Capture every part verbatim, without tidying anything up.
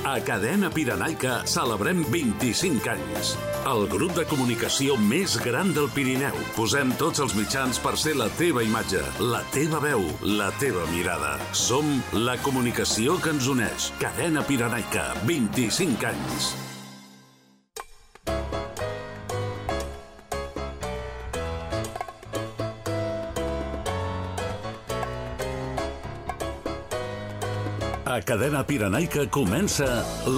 A Cadena Pirenaica celebrem vint-i-cinc anys. El grup de comunicació més gran del Pirineu. Posem tots els mitjans per ser la teva imatge, la teva veu, la teva mirada. Som la comunicació que ens uneix. Cadena Pirenaica, vint-i-cinc anys. A Cadena Pirenaica comença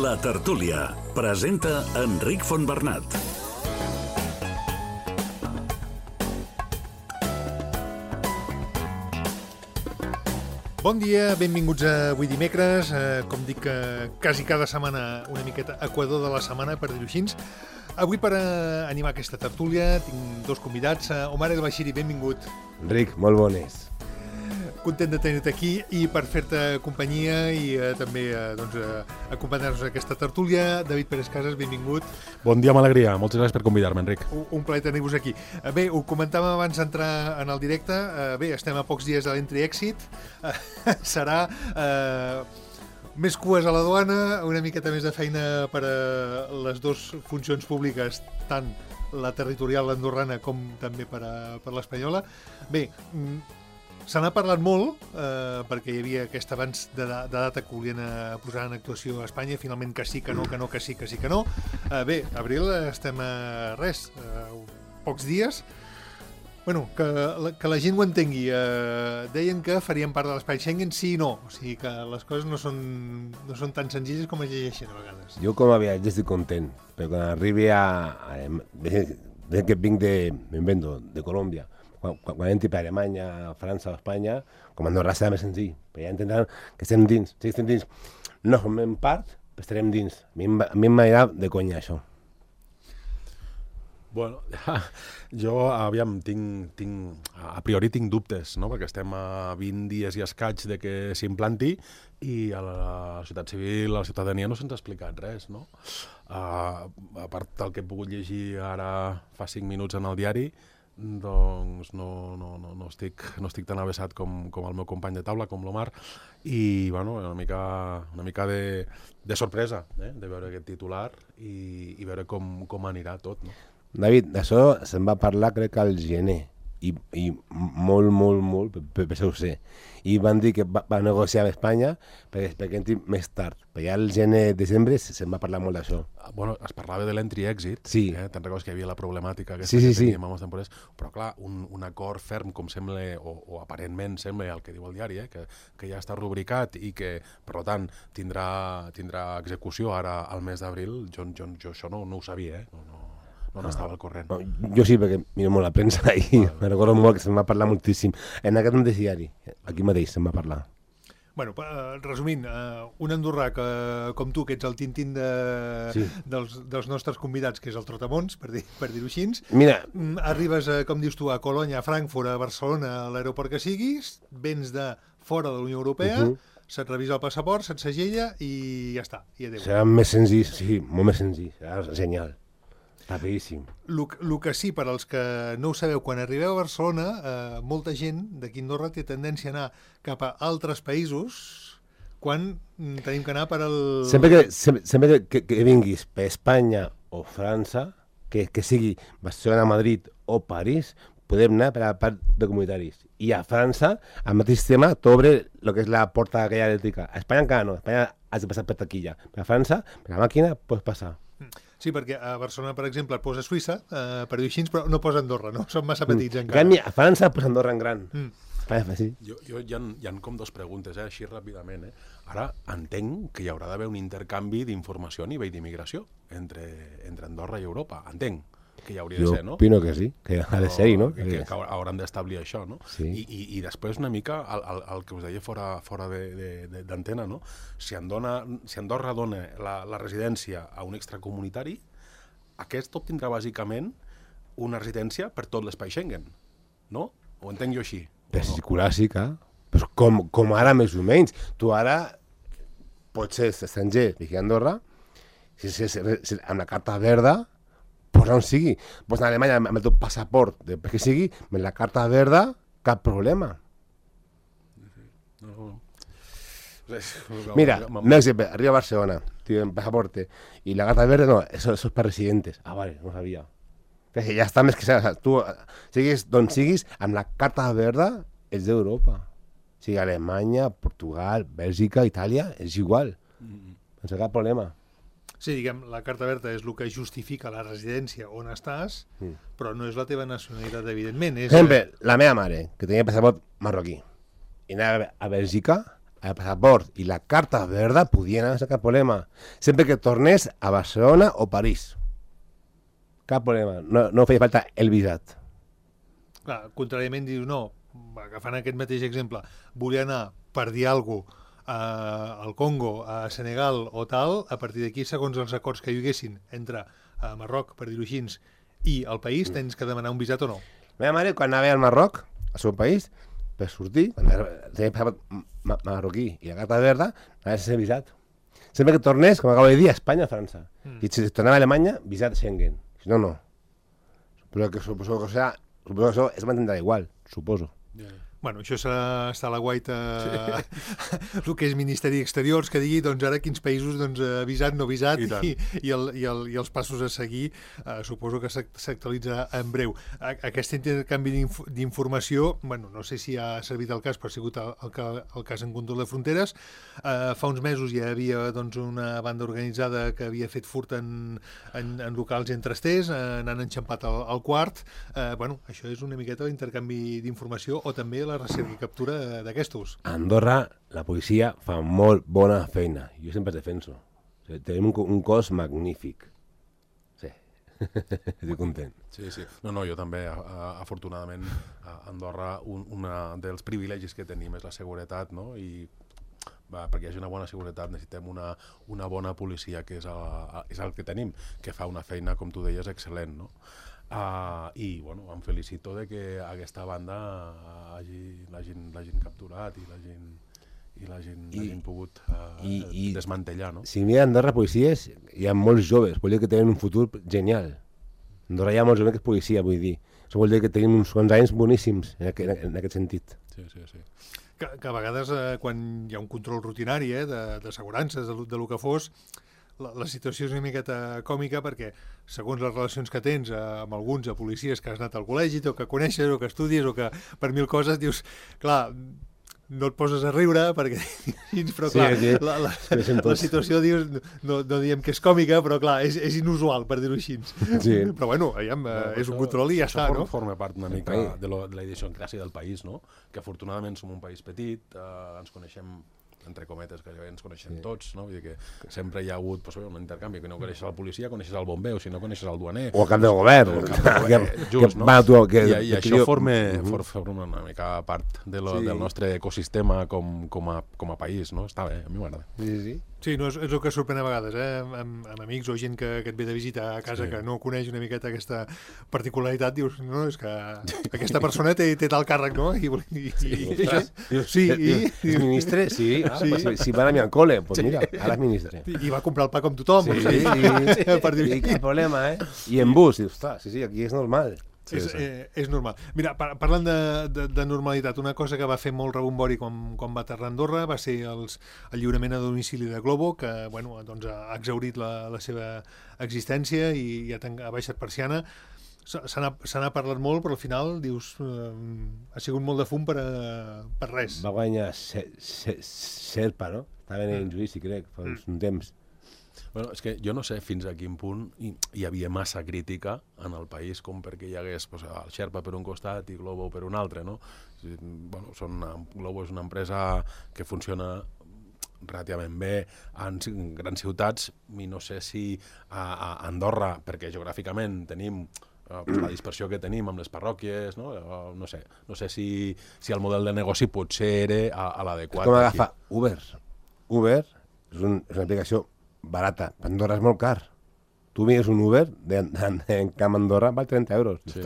La Tertúlia. Presenta Enric Fontbernat. Bon dia, benvinguts a avui dimecres. Eh, com dic, eh, quasi cada setmana una miqueta equador de la setmana, per dir-ho així. Avui, per eh, animar aquesta tertúlia, tinc dos convidats. Eh, Omar El Bashiri, benvingut. Enric, molt bones. Content de tenir-te aquí i per fer-te companyia i eh, també eh, doncs, eh, acompanyar-nos a aquesta tertúlia. David Pérez Casas, benvingut. Bon dia amb alegria. Moltes gràcies per convidar-me, Enric. Un, un plaer tenir-vos aquí. Eh, bé, ho comentàvem abans d'entrar en el directe. Eh, bé, estem a pocs dies de l'entry-exit. Eh, serà eh, més cues a la duana, una miqueta més de feina per a les dues funcions públiques, tant la territorial andorrana com també per a, per l'espanyola. Bé, se n'ha parlat molt, eh, perquè hi havia aquest abans de, de data que volien eh, posar en actuació a Espanya, finalment que sí, que no, que no, que sí, que sí, que no. Eh, bé, abril estem a res, eh, pocs dies. Bueno, que la, que la gent ho entengui. Eh, deien que farien part de l'espai Schengen, sí i no. O sigui que les coses no són, no són tan senzilles com es llegeixen a vegades. Jo com a viatger estic content, però quan arribi a... a des que vinc de... m'invento, de Colòmbia, quan, quan entri per Alemanya, França o Espanya, com a Andorra serà més senzill, però ja entendran que estem dins. Si estem dins, no formem part, però estarem dins. A mi m'agrada de conya, això. Bueno, jo, aviam, tinc, tinc, a priori tinc dubtes, no? Perquè estem a vint dies i escaig de que s'implanti i a la societat civil, a la ciutadania no se'ns ha explicat res, no? Uh, a part del que he pogut llegir ara fa cinc minuts en el diari, doncs no, no, no, no, estic, no estic tan avessat com, com el meu company de taula, com l'Omar, i bueno, una mica, una mica de, de sorpresa eh? de veure aquest titular i, i veure com, com anirà tot, no? David, d'això se'n va parlar crec al gener i, i molt, molt, molt, per, per això ho sé. I van dir que va, va negociar amb Espanya perquè, perquè entri més tard. Però ja al gener, desembre, se'n va parlar molt d'això. Bueno, es parlava de l'entry-exit, sí. eh? Te'n recordes que hi havia la problemàtica aquesta sí, sí, que teníem sí. amb els temporers, però clar, un, un acord ferm, com sembla, o, o aparentment sembla el que diu el diari, eh? que, que ja està rubricat i que, per tant, tindrà, tindrà execució ara al mes d'abril, jo, jo, jo això no, no ho sabia, eh? no, no. No n'estava al corrent. No, jo sí, perquè miro molt la premsa i vale. Me recordo molt que se'n va parlar moltíssim. En aquest mateix diari, aquí mateix se'n va parlar. Bueno, resumint, un andorrà que, com tu, que ets el tintín de, sí. dels, dels nostres convidats, que és el Trotamons, per, dir, per dir-ho així, mira, arribes, a, com dius tu, a Colònia, a Frankfurt, a Barcelona, a l'aeroport que siguis, vens de fora de la Unió Europea, uh -huh. se't revisa el passaport, se't segella i ja està, i adéu. Serà més senzill, sí, molt més senzill, serà genial. Rapidíssim. El que sí, per als que no ho sabeu, quan arribeu a Barcelona, eh, molta gent d'aquí a Andorra té tendència a anar cap a altres països quan tenim que anar per al... Sempre que, sempre, sempre que, que vinguis per Espanya o França, que, que sigui Barcelona, Madrid o París, podem anar per a la part de comunitaris. I a França, al mateix tema, t'obre el que és la porta aquella elèctrica. A Espanya encara no, a Espanya has de passar per taquilla. Per a França, per la màquina, pots passar. Sí, perquè a Barcelona, per exemple, et posa Suïssa, eh, per dir així, però no posa Andorra, no? Són massa petits mm. encara. En canvi, a França posa Andorra en gran. Mm. Ah, sí. Jo, jo hi, ha, hi ha com dos preguntes, eh, així ràpidament. Eh. Ara entenc que hi haurà d'haver un intercanvi d'informació a nivell d'immigració entre, entre Andorra i Europa. Entenc que hi hauria jo de ser, no? Jo opino que sí, que ha de ser-hi, no? Que, que, que hauran d'establir això, no? Sí. I, i, I després una mica el, el, el que us deia fora, fora d'antena, no? Si, Andorra, si Andorra dona la, la residència a un extracomunitari, aquest obtindrà bàsicament una residència per tot l'espai Schengen, no? Ho entenc jo així? Per circulàssica, pues com, com ara més o menys. Tu ara pots ser estranger aquí a Andorra, si, si, si, si, amb la carta verda, pues on sigui. Pues en Alemanya, amb el teu passaport, de per què sigui, amb la carta verda, cap problema. No, no. Mira, un exemple, arriba a Barcelona, tío, en pasaporte, y la carta verde, no, eso, eso es para residentes. Ah, vale, no sabia. Que ja està més que sabia. Tu, siguis d'on siguis, amb la carta verda, ets d'Europa. O sigui, Alemanya, Portugal, Bèlgica, Itàlia, és igual. Mm. No té cap problema. Sí, diguem, la carta verda és el que justifica la residència on estàs, mm. però no és la teva nacionalitat, evidentment. És... Per exemple, la meva mare, que tenia passaport marroquí, i anava a Bèlgica, el passaport i la carta verda podien anar sense cap problema. Sempre que tornés a Barcelona o París. Cap problema. No, no feia falta el visat. Clar, contràriament dius, no, agafant aquest mateix exemple, volia anar per dir alguna cosa al Congo, a Senegal o tal, a partir d'aquí, segons els acords que hi haguessin entre a Marroc, per dir-ho així, i el país, tens que demanar un visat o no. La meva mare, quan anava al Marroc, al seu país, per sortir, quan tenia passaport marroquí i la carta verda, anava sense visat. Sempre que tornés, com acabo de dir, a Espanya o a França. Mm. I si tornava a Alemanya, visat Schengen. Si no, no. Suposo que, suposo que, o sea, suposo que això es mantindrà igual, suposo. Yeah. Bueno, això serà estar a la guaita sí. el que és Ministeri d'Exteriors, que digui doncs ara quins països doncs, avisat, no avisat, i, i, i, el, i, el, i els passos a seguir eh, suposo que s'actualitza en breu. A, aquest intercanvi d'informació, bueno, no sé si ha servit el cas, però ha sigut el, el, el cas en control de fronteres. Eh, fa uns mesos hi havia doncs, una banda organitzada que havia fet furt en, en, en locals entre esters, eh, n'han enxampat el, el quart. Eh, bueno, això és una miqueta l'intercanvi d'informació o també la recerca i captura d'aquestos. A Andorra la policia fa molt bona feina. Jo sempre es defenso. O sigui, tenim un, un cos magnífic. Sí. Estic content. Sí, sí. No, no, jo també, afortunadament, a Andorra, un una dels privilegis que tenim és la seguretat, no? I va, perquè hi hagi una bona seguretat necessitem una, una bona policia, que és el, és el que tenim, que fa una feina, com tu deies, excel·lent, no? Uh, i bueno, em felicito de que aquesta banda l'hagin capturat i l'hagin i l'hagin pogut uh, i, i, desmantellar, no? Si mira Andorra policies, hi ha molts joves, vol dir que tenen un futur genial. Andorra hi ha molts joves que és policia, vull dir. Això vol dir que tenim uns quants anys boníssims en aquest, en aquest sentit. Sí, sí, sí. Que, que a vegades eh, quan hi ha un control rutinari eh, d'assegurances, de, de, de lo que fos, La, la situació és una miqueta còmica perquè segons les relacions que tens eh, amb alguns a policies que has anat al col·legi o que coneixes o que estudies o que per mil coses dius, clar, no et poses a riure perquè però clar, sí, sí. La, la, la situació dius, no, no diem que és còmica, però clar, és, és inusual per dir-ho així. Sí. Però bueno, aviam, no, és un control i ja està, no? Forma part una mica de, lo, de la idiosincràsia del país, no? Que afortunadament som un país petit, eh, ens coneixem entre cometes, que ens coneixem sí. tots, no? Vull dir que sempre hi ha hagut pues, un intercanvi, que no coneixes el policia, coneixes el bomber, o si no coneixes el duaner. O el cap del govern. O el cap del govern, que, just, no? Va, tu, que, I, i això forma, uh -huh. forma una mica part de lo, sí. del nostre ecosistema com, com, a, com a país, no? Està bé, a mi m'agrada. Sí, sí. Sí, no, és, és el que sorprèn a vegades, eh? amb, amb amics o gent que, que et ve de visita a casa sí. que no coneix una miqueta aquesta particularitat, dius, no, és que aquesta persona té, té tal càrrec, no? I, i, sí, i, dius, sí, i... És ministre? Sí, ah, sí. Pues, si van a mi al cole, pues mira, ara és ministre. I, I va comprar el pa com tothom. Sí, sí, sí, sí. Per dir-ho. I cap problema, eh? I en bus, dius, ostres, sí, sí, aquí és normal. Sí, és, sí. Eh, és normal. Mira, par parlant de, de, de normalitat, una cosa que va fer molt rebombori quan, quan va aterrar a Andorra va ser els, el lliurament a domicili de Glovo, que bueno, doncs ha exhaurit la, la seva existència i, i ha, ha baixat persiana. Se n'ha parlat molt, però al final, dius, eh, ha sigut molt de fum per, a, per res. Va guanyar Serpa, no? Estava en el judici, crec, fa uns mm. temps. Bueno, és que jo no sé fins a quin punt hi, hi havia massa crítica en el país com perquè hi hagués pues, el Sherpa per un costat i Glovo per un altre, no? Bueno, són una, Glovo és una empresa que funciona relativament bé en grans ciutats i no sé si a, a Andorra, perquè geogràficament tenim uh, pues, la dispersió que tenim amb les parròquies, no? Uh, no sé, no sé si, si el model de negoci potser era a, a l'adequat. Com agafar Uber. Uber és, un, és una aplicació barata. Andorra és molt car. Tu mires un Uber de, de, de, en Camp Andorra val trenta euros. Sí.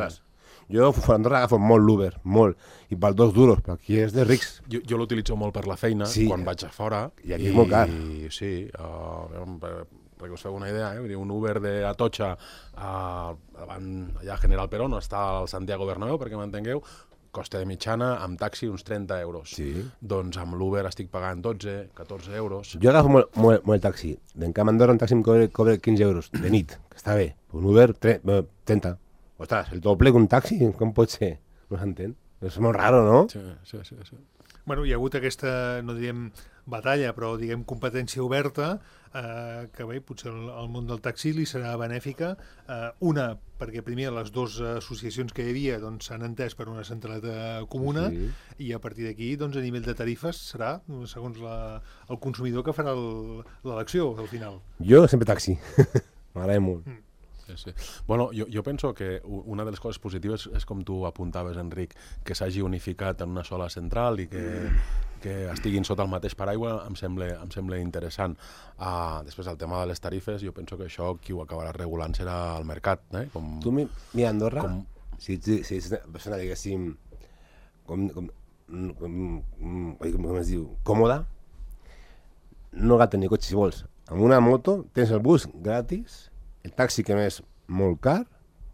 Jo a Andorra agafo molt l'Uber, molt. I val dos duros, però aquí és de rics. Jo, jo l'utilitzo molt per la feina, sí, quan vaig a fora. I aquí i, és molt car. Sí, uh, perquè us feu una idea, eh? Un Uber de Atocha uh, allà a General Perón, està al Santiago Bernabéu, perquè m'entengueu, costa de mitjana, amb taxi uns trenta euros. Sí. Doncs amb l'Uber estic pagant dotze, catorze euros. Jo agafo molt, molt, molt el taxi. D'en Camp Andorra un taxi em cobra, cobra quinze euros de nit, que està bé. Un Uber, trenta. Ostres, el doble que un taxi, com pot ser? No s'entén. És molt raro, no? Sí, sí, sí. sí. Bueno, hi ha hagut aquesta, no diríem batalla, però diguem competència oberta, eh, que bé, potser el, el món del taxi li serà benèfica. Eh, una, perquè primer les dues associacions que hi havia doncs, s'han entès per una centralitat comuna, sí. I a partir d'aquí, doncs, a nivell de tarifes, serà, segons la, el consumidor, que farà l'elecció al final. Jo sempre taxi. M'agrada molt. Mm. Sí, sí. Bueno, jo, jo penso que una de les coses positives és com tu apuntaves, Enric, que s'hagi unificat en una sola central i que, que estiguin sota el mateix paraigua em sembla, em sembla interessant. Uh, després, el tema de les tarifes, jo penso que això qui ho acabarà regulant serà el mercat. Eh? Com, tu, mira, Andorra, com... si, si, si és una persona, diguéssim, com, com, com, com, com es diu, còmoda, no cal tenir cotxe si vols. Amb una moto tens el bus gratis, el taxi que més molt car,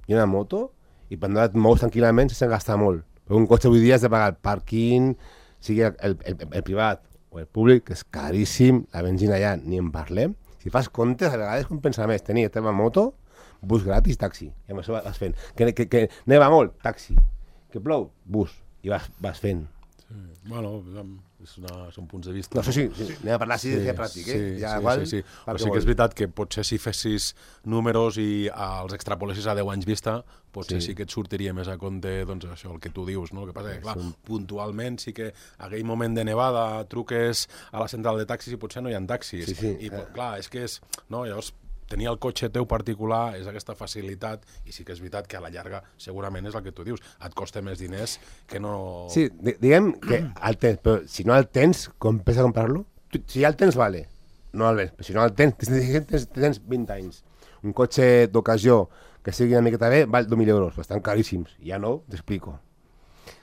i una moto, i per anar et mous tranquil·lament sense gastar molt. Però un cotxe avui dia has de pagar el pàrquing, sigui el, el, el, el privat o el públic, que és caríssim, la benzina allà ni en parlem. Si fas comptes, a vegades compensa més tenir la teva moto, bus gratis, taxi, i amb això vas fent. Que, que, que neva molt, taxi. Que plou, bus, i vas, vas fent. Sí. Bueno, és una, són punts de vista. No, això sí, sí, sí. Anem a parlar així sí, de pràctic, eh? Sí, ja, sí, igual, sí, sí. O sigui que és veritat que potser si fessis números i els extrapolessis a deu anys vista, potser sí, sí que et sortiria més a compte, doncs això, el que tu dius, no? El que passa que, clar, sí. puntualment sí que aquell moment de nevada truques a la central de taxis i potser no hi ha taxis. Sí, sí. I, clar, és que és... No, llavors, tenir el cotxe teu particular és aquesta facilitat, i sí que és veritat que a la llarga segurament és el que tu dius, et costa més diners que no... Sí, diguem que el tens, però si no el tens, compensa comprar-lo? Si ja el tens, vale, no el vens, però si no el tens, tens, tens vint anys. Un cotxe d'ocasió que sigui una miqueta bé val dos mil euros, estan caríssims, ja no, t'explico.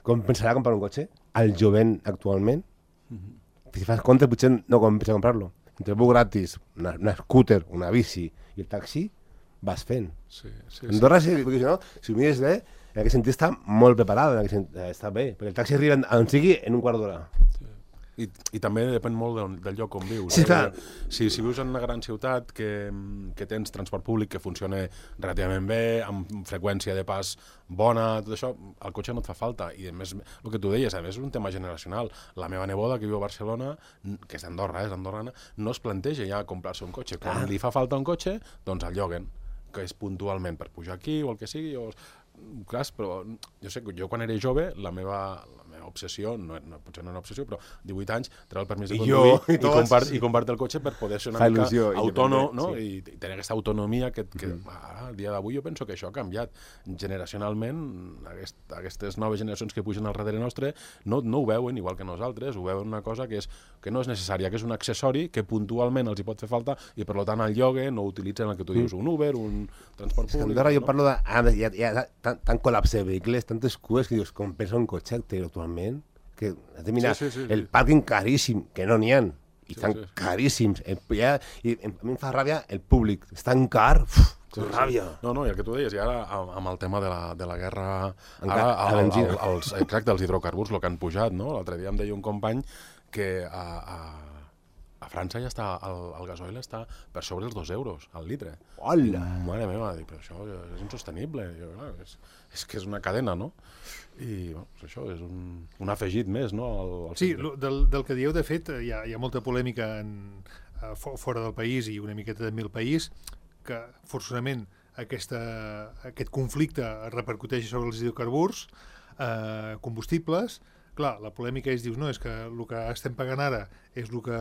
Compensarà comprar un cotxe? Al jovent actualment? Mm-hmm. Si fas compte, potser no compensa comprar-lo. Entre el bus gratis, una, una scooter, una bici i el taxi, vas fent. Sí, sí, Andorra, sí. Si, no, si ho mires bé, en aquest sentit està molt preparada, en aquest sentit, està bé, perquè el taxi arriba on sigui en un quart d'hora. Sí. I, I també depèn molt del, del lloc on vius. Sí, eh? Clar. Si, si vius en una gran ciutat que, que tens transport públic que funciona relativament bé, amb freqüència de pas bona, tot això, el cotxe no et fa falta. I a més, el que tu deies, a més és un tema generacional. La meva neboda, que viu a Barcelona, que és d'Andorra, és andorrana, no es planteja ja comprar-se un cotxe. Quan ah. li fa falta un cotxe, doncs el lloguen, que és puntualment per pujar aquí o el que sigui. O... Clar, però jo sé que jo quan era jove, la meva... obsessió, no, no, potser no una obsessió, però divuit anys, treure el permís de conduir i, i, compart, i compart el cotxe per poder ser una Fa mica autònom, no? Sí. I, I tenir aquesta autonomia que, que mm. ara, al dia d'avui, jo penso que això ha canviat. Generacionalment, aquest, aquestes noves generacions que pugen al darrere nostre no, no ho veuen igual que nosaltres, ho veuen una cosa que, és, que no és necessària, que és un accessori que puntualment els hi pot fer falta i per tant el llogue no utilitzen el que tu dius, un Uber, un transport públic. Andorra jo no? parlo de... Ah, hi ha, hi ha tant, tant col·lapse de vehicles, tantes cues que dius, com pensa un cotxe actualment, que has de mirar sí, sí, sí, el sí. pàrquing caríssim, que no n'hi ha, i sí, estan sí, sí. caríssims. El, ja, i a mi em fa ràbia el públic, és tan car, uf, que sí, ràbia. Sí. No, no, i el que tu deies, i ara amb el tema de la, de la guerra, ara, el, el, el, els, exacte, els hidrocarburs, el que han pujat, no? L'altre dia em deia un company que a, a, a França ja està, el, el gasoil està per sobre els dos euros al litre. Hola! Mare meva, dic, però això és insostenible. Jo, no, és, és que és una cadena, no? I bueno, això és un, un afegit més, no? Al, al sí, del, del que dieu, de fet, hi ha, hi ha molta polèmica en, uh, fora del país i una miqueta també al país, que forçosament aquesta, aquest conflicte repercuteix sobre els hidrocarburs eh, combustibles. Clar, la polèmica és, dius, no, és que el que estem pagant ara és el que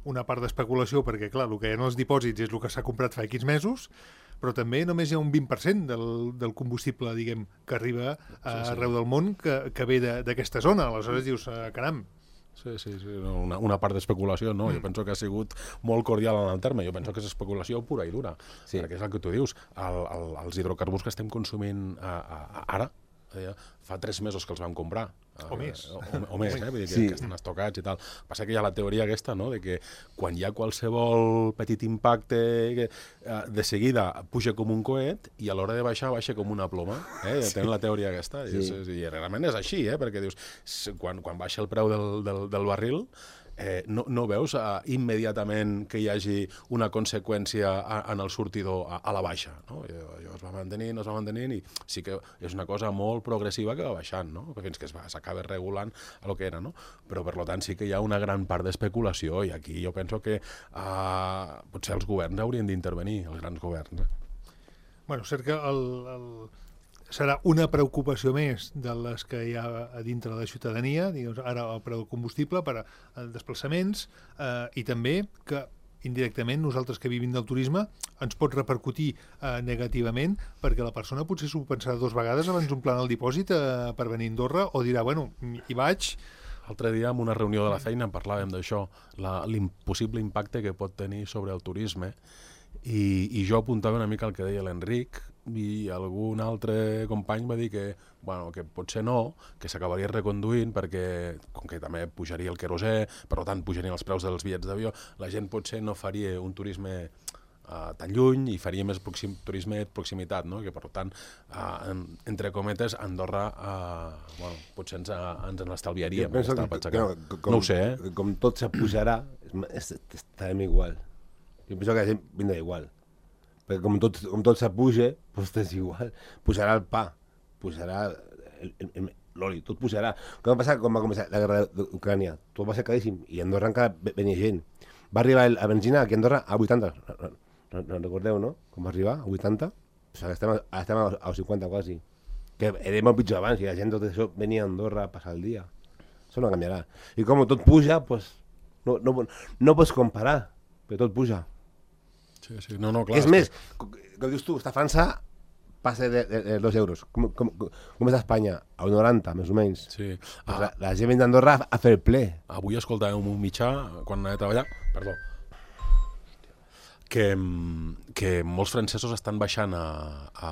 una part d'especulació, perquè clar, el que hi ha en els dipòsits és el que s'ha comprat fa quinze mesos, però també només hi ha un vint per cent del, del combustible, diguem, que arriba a, sí, sí. arreu del món que, que ve d'aquesta zona. Aleshores dius, eh, caram. Sí, sí, sí. Una, una part d'especulació, no. Mm. Jo penso que ha sigut molt cordial en el terme. Jo penso que és especulació pura i dura. Sí. Perquè és el que tu dius. El, el, els hidrocarburs que estem consumint a, a, a ara, deia, fa tres mesos que els vam comprar. O més. O, o, o més, eh? Vull dir que, Sí. que estan estocats i tal. Passa que hi ha la teoria aquesta, no?, de que quan hi ha qualsevol petit impacte, que, eh, de seguida puja com un coet i a l'hora de baixar, baixa com una ploma. Eh? Sí. Tenen la teoria aquesta. Sí. I, és, I realment és així, eh? Perquè dius, quan, quan baixa el preu del, del, del barril, Eh, no, no veus uh, immediatament que hi hagi una conseqüència a, en el sortidor a, a la baixa, no? I, allò es va mantenint, es va mantenint, i sí que és una cosa molt progressiva que va baixant, no? Fins que s'acaba regulant a lo que era, no? Però, per tant, sí que hi ha una gran part d'especulació, i aquí jo penso que uh, potser els governs haurien d'intervenir, els grans governs. Eh? Bueno, cert que el, el... serà una preocupació més de les que hi ha a dintre de la ciutadania, diguem, ara el preu del combustible per a desplaçaments, eh, i també que indirectament nosaltres que vivim del turisme ens pot repercutir eh, negativament, perquè la persona potser s'ho pensarà dues vegades abans d'omplir el dipòsit eh, per venir a Andorra, o dirà, bueno, hi vaig. L'altre dia, en una reunió de la feina, en parlàvem d'això, l'impossible impacte que pot tenir sobre el turisme, i, i jo apuntava una mica el que deia l'Enric, i algun altre company va dir que, bueno, que potser no, que s'acabaria reconduint perquè, com que també pujaria el querosè, per tant pujarien els preus dels bitllets d'avió, la gent potser no faria un turisme uh, tan lluny i faria més proxim, turisme de proximitat, no? Que per tant, uh, en, entre cometes, Andorra uh, bueno, potser ens, uh, ens l'estalviaríem. Jo penso que, que, que, com, no ho sé, eh? Com tot s'apujarà, estarem igual. Jo penso que la gent vindrà igual. Perquè com tot, com tot s'apuja, doncs és igual. Pujarà el pa, pujarà l'oli, tot pujarà. Què va passar quan va començar la guerra d'Ucrània? Tot va ser caríssim, i a Andorra encara venia gent. Va arribar la benzina aquí a Andorra a vuitanta, no, no, no recordeu, no? Com va arribar, a vuitanta? Pues ara estem, ara estem a cinquanta quasi. Que era molt pitjor abans, i la gent tot això venia a Andorra a passar el dia. Això no canviarà. I com tot puja, pues, no, no, no pots comparar, però tot puja. Sí, sí. No, no, clar, és més, com dius tu, està a França passa de, de, de dos euros. Com, com, com és a Espanya? A un noranta, més o menys. Sí. Ah. La, la gent venia d'Andorra a fer el ple. Avui escoltàvem un mitjà, quan anava a treballar, perdó, que, que molts francesos estan baixant a, a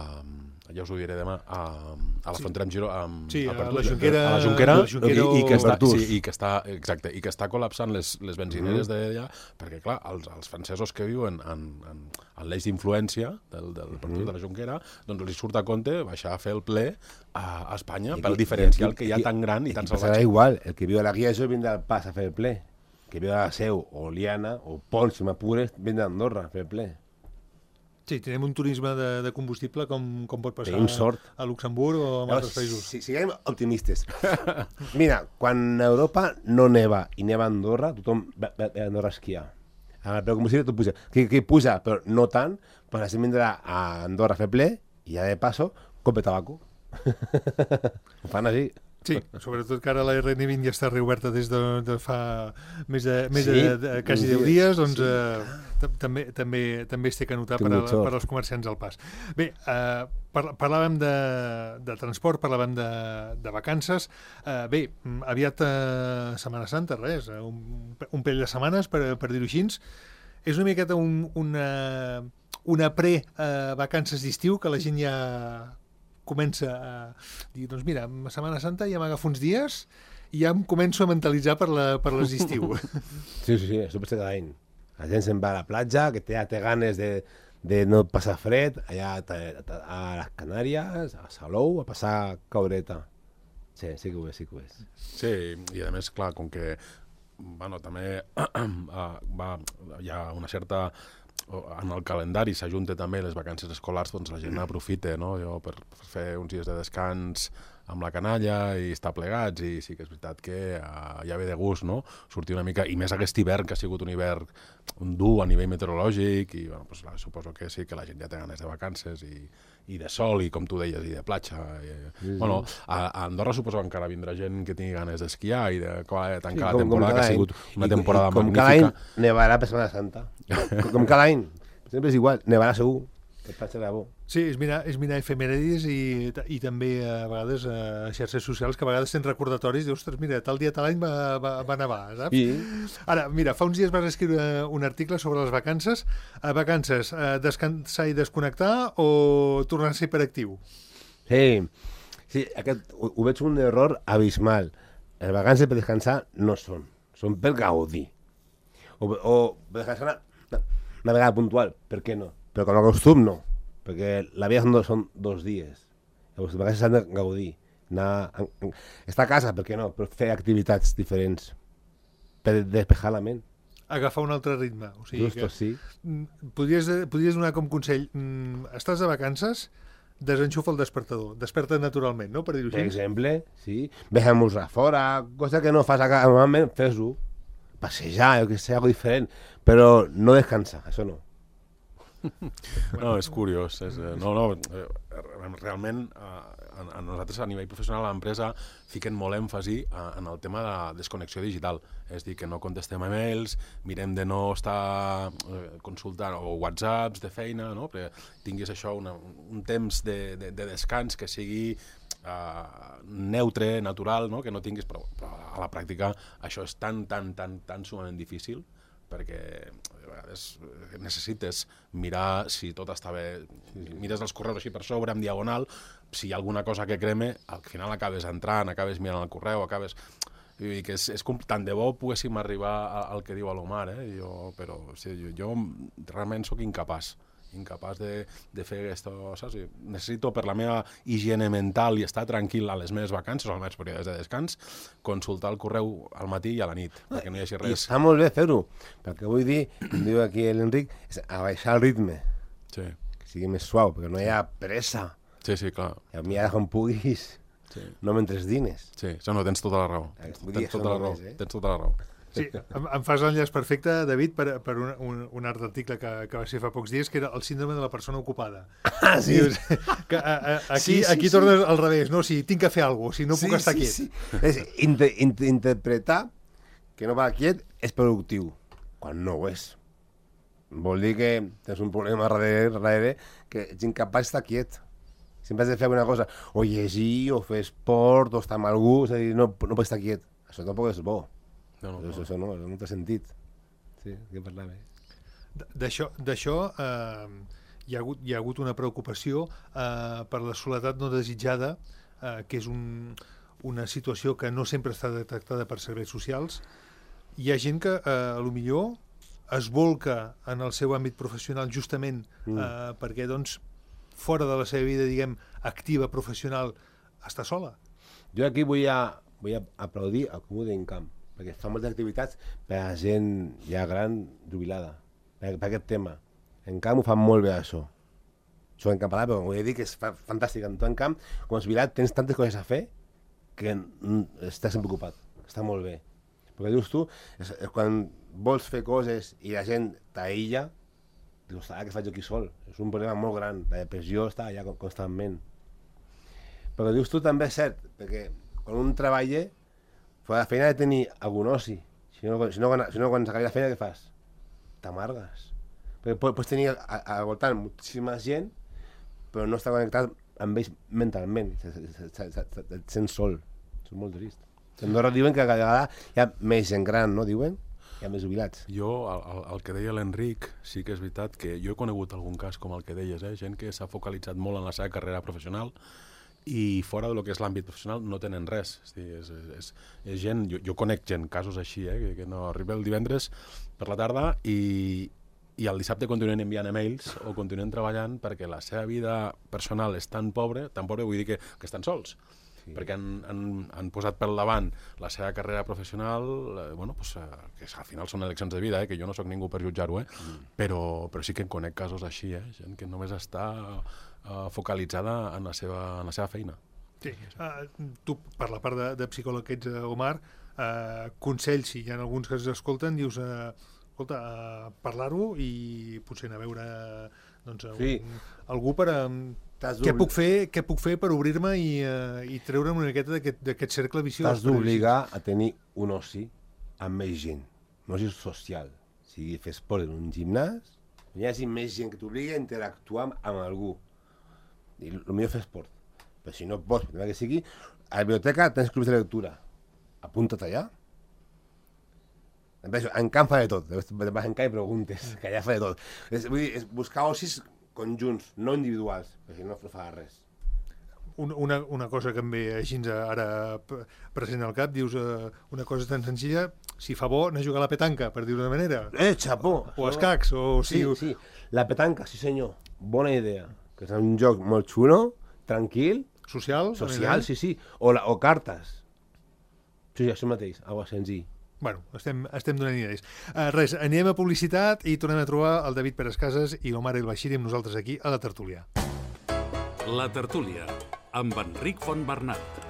ja us ho diré demà, a, a la sí. frontera amb Giró, a, sí, a, a la Junquera, a la Junquera, la Junquera i, i, que està, sí, i, que està, exacte, i que està col·lapsant les, les benzineres mm. d'allà, perquè clar, els, els francesos que viuen en, en, en l'eix d'influència del, del mm. de la Junquera, doncs els surt a compte baixar a fer el ple a, a Espanya, I pel diferencial que hi ha tan gran i, i tan salvatge. Serà igual, el que viu a la Guia això vindrà al Pas a fer el ple, el que viu a la Seu o Liana o Pons, si m'apures, vindrà a Andorra a fer el ple. Sí, tenim un turisme de, de combustible com, com pot passar sort. a Luxemburg o en altres països. Si, siguem optimistes. Mira, quan a Europa no neva i neva a Andorra, tothom va a Andorra a esquiar. Però com si tot puja. Que, que puja, però no tant, pues la gent vindrà a Andorra a fer ple i ja de passo, compre tabaco. Ho fan així. Sí, sobretot que ara la R N vint ja està reoberta des de, de fa més de, més sí, de, de quasi deu dies, doncs sí. eh, també, també, també es té que notar per, a, per als comerciants al Pas. Bé, eh, par, parlàvem de, de transport, parlàvem de, de vacances. Eh, bé, aviat eh, Setmana Santa, res, un, un parell de setmanes, per, per dir-ho així. És una miqueta un, una, una pre-vacances d'estiu que la gent ja comença a dir, doncs mira, a Setmana Santa ja m'agafo uns dies i ja em començo a mentalitzar per, la, per les d'estiu. Sí, sí, sí, això passa cada any. La gent se'n va a la platja, que té, té ganes de, de no passar fred, allà a, a les Canàries, a Salou, a passar caureta. Sí, sí que ho és, sí que ho és. Sí, i a més, clar, com que bueno, també va, hi ha una certa... en el calendari s'ajunta també les vacances escolars, doncs la gent aprofita, no? Jo per, per fer uns dies de descans amb la canalla i estar plegats, i sí que és veritat que uh, ja ve de gust, no? Sortir una mica, i més aquest hivern, que ha sigut un hivern dur a nivell meteorològic, i bueno, pues, suposo que sí que la gent ja té ganes de vacances i, i de sol, i com tu deies, i de platja. I, sí, bueno, a, a Andorra suposo que encara vindrà gent que tingui ganes d'esquiar i de tancar sí, com, la temporada, que ha sigut una temporada I, i, com magnífica. Com cada any nevarà per Setmana Santa. com, com cada any. Sempre és igual, nevarà segur. Que platja de bo. Sí, és mirar, és mirar efemèrides i, i també a vegades a xarxes socials que a vegades tens recordatoris i dius, ostres, mira, tal dia, tal any va, va, va nevar, saps? Sí. Ara, mira, fa uns dies vas escriure un article sobre les vacances. A vacances, a descansar i desconnectar o tornar a ser hiperactiu? Sí, Sí, aquest, ho, ho veig un error abismal. Les vacances per descansar no són, són per gaudir. O, o per descansar una, una, una vegada puntual, per què no? Però com a costum no, perquè la vida són dos, són dos dies. Les vacances s'han de gaudir. Anar, en, en, estar a casa, per què no? Però fer activitats diferents per despejar la ment. Agafar un altre ritme. O sigui Justo, que, sí. podries, podries donar com consell, mm, estàs de vacances, desenxufa el despertador, desperta naturalment, no? Per dir-ho Per així. exemple, sí, vejam-nos a fora, cosa que no fas a casa, normalment fes-ho, passejar, jo que sé, algo diferent, però no descansar, això no. No, és curiós. És, eh, no, no, eh, realment eh, a, a nosaltres a nivell professional a l'empresa fiquen molt èmfasi a, en el tema de desconnexió digital. És dir, que no contestem e-mails, mirem de no estar eh, consultant o whatsapps de feina, no? Perquè tinguis això, una, un temps de, de, de descans que sigui uh, neutre, natural, no? Que no tinguis, però, però a la pràctica això és tan, tan, tan, tan sumament difícil perquè a vegades necessites mirar si tot està bé, mires els correus així per sobre, en diagonal, si hi ha alguna cosa que creme, al final acabes entrant, acabes mirant el correu, acabes... Vull dir que és, és com, tant de bo poguéssim arribar al que diu l'Omar, eh? Jo, però sí, jo, jo realment sóc incapaç, incapaç de, de fer aquesta... Saps? Necessito, per la meva higiene mental i estar tranquil a les meves vacances o als meus períodes de descans, consultar el correu al matí i a la nit, perquè no hi hagi I res. està molt bé fer-ho, perquè vull dir, com diu aquí l'Enric, és abaixar el ritme, Sí, que sigui més suau, perquè no hi ha pressa. sí, sí, clar. I a mi ara com puguis, Sí. no mentre dines. Sí, això no, tens tota la raó. Eh, Tens, vull dir, tens tota això la raó. només, eh? Tens tota la raó. Sí, em, em fas l'enllaç perfecte, David, per, per un, un, un art d'article que, que va ser fa pocs dies, que era el síndrome de la persona ocupada. Ah, sí. Dius, que, a, a, aquí, Sí, sí, aquí sí. tornes al revés, no? Si tinc que fer alguna cosa, si no puc estar sí, quiet. Sí. És inter, inter, interpretar que no va quiet és productiu, quan no ho és. Vol dir que tens un problema darrere, darrere que ets incapaç d'estar quiet. Sempre has de fer alguna cosa, o llegir, o fer esport, o estar amb algú, és a dir, no, no pots estar quiet. Això tampoc és bo. No, no, Això, no. això no, això no té sentit. Sí, què parlava. D'això d'això, eh, hi, ha hagut, hi ha hagut una preocupació eh, per la soledat no desitjada, eh, que és un, una situació que no sempre està detectada per serveis socials. Hi ha gent que, eh, a lo millor, es volca en el seu àmbit professional justament eh, Mm. perquè, doncs, fora de la seva vida, diguem, activa, professional, està sola. Jo aquí vull, a, vull a aplaudir el Comú d'Encamp, perquè fa moltes activitats per a gent ja gran, jubilada, per, per aquest tema. En Camp ho fan molt bé, això. Soc encampadà, però vull dir que és fa, fantàstic. En tu, en Camp, com a jubilat, tens tantes coses a fer que mm, estàs sempre ocupat. Està molt bé. Perquè dius tu, és, és quan vols fer coses i la gent t'aïlla, dius, ah, què faig jo aquí sol? És un problema molt gran. La depressió està allà constantment. Però dius tu també és cert, perquè quan un treballa, fora de feina ha de tenir algun oci. Si no, si no, quan, si no quan s'acabi la feina, què fas? T'amargues. Perquè pots, pots tenir al voltant moltíssima gent, però no estar connectat amb ells mentalment. Et sents sol. És molt trist. A Andorra diuen que cada vegada hi ha més gent gran, no? Diuen? Hi ha més jubilats. Jo, el, el, el que deia l'Enric, sí que és veritat que jo he conegut algun cas com el que deies, eh? Gent que s'ha focalitzat molt en la seva carrera professional i fora del que és l'àmbit professional no tenen res. És, dir, és, és, és, és gent, jo, jo conec gent, casos així, eh? que, que no arriba el divendres per la tarda i, i el dissabte continuen enviant e-mails o continuen treballant perquè la seva vida personal és tan pobra, tan pobra vull dir que, que estan sols. Sí. Perquè han, han, han posat per davant la seva carrera professional, eh, bueno, pues, eh, que al final són eleccions de vida, eh, que jo no sóc ningú per jutjar-ho, eh, mm. però, però sí que en conec casos així, eh, gent que només està eh, focalitzada en la seva, en la seva feina. Sí. Uh, tu, per la part de, de psicòleg que ets, Omar, uh, consells, si hi ha alguns que ens escolten, dius, uh, escolta, uh, parlar-ho i potser anar a veure doncs, Sí. un, algú per... Um, T'has què puc fer, què puc fer per obrir-me i, uh, i treure'm una miqueta d'aquest cercle viciós? T'has d'obligar a tenir un oci amb més gent, un oci social. O sigui, fer esport en un gimnàs, hi hagi més gent que t'obligui a interactuar amb, amb algú. I el millor fer esport. Però si no pots, per que sigui, a la biblioteca tens clubs de lectura. Apunta't allà. En Camp fa de tot. Vas en Camp i preguntes, que allà fa de tot. És, vull dir, és buscar ocis conjunts, no individuals, perquè no fa res. una, una cosa que em ve així ara present al cap, dius uh, una cosa tan senzilla, si fa bo anar a jugar a la petanca, per dir-ho d'una manera. Eh, xapó! O escacs, o... Sí, si... sí, la petanca, sí senyor, bona idea. Que és un joc molt xulo, tranquil. Social? Social, sí, sí. O, la, o cartes. Sí, sí, això mateix, algo senzill. Bueno, estem, estem donant idees. Uh, res, anem a publicitat i tornem a trobar el David Pérez Casas i l'Omar El Bashiri amb nosaltres aquí a la tertúlia. La tertúlia, amb Enric Fontbernat.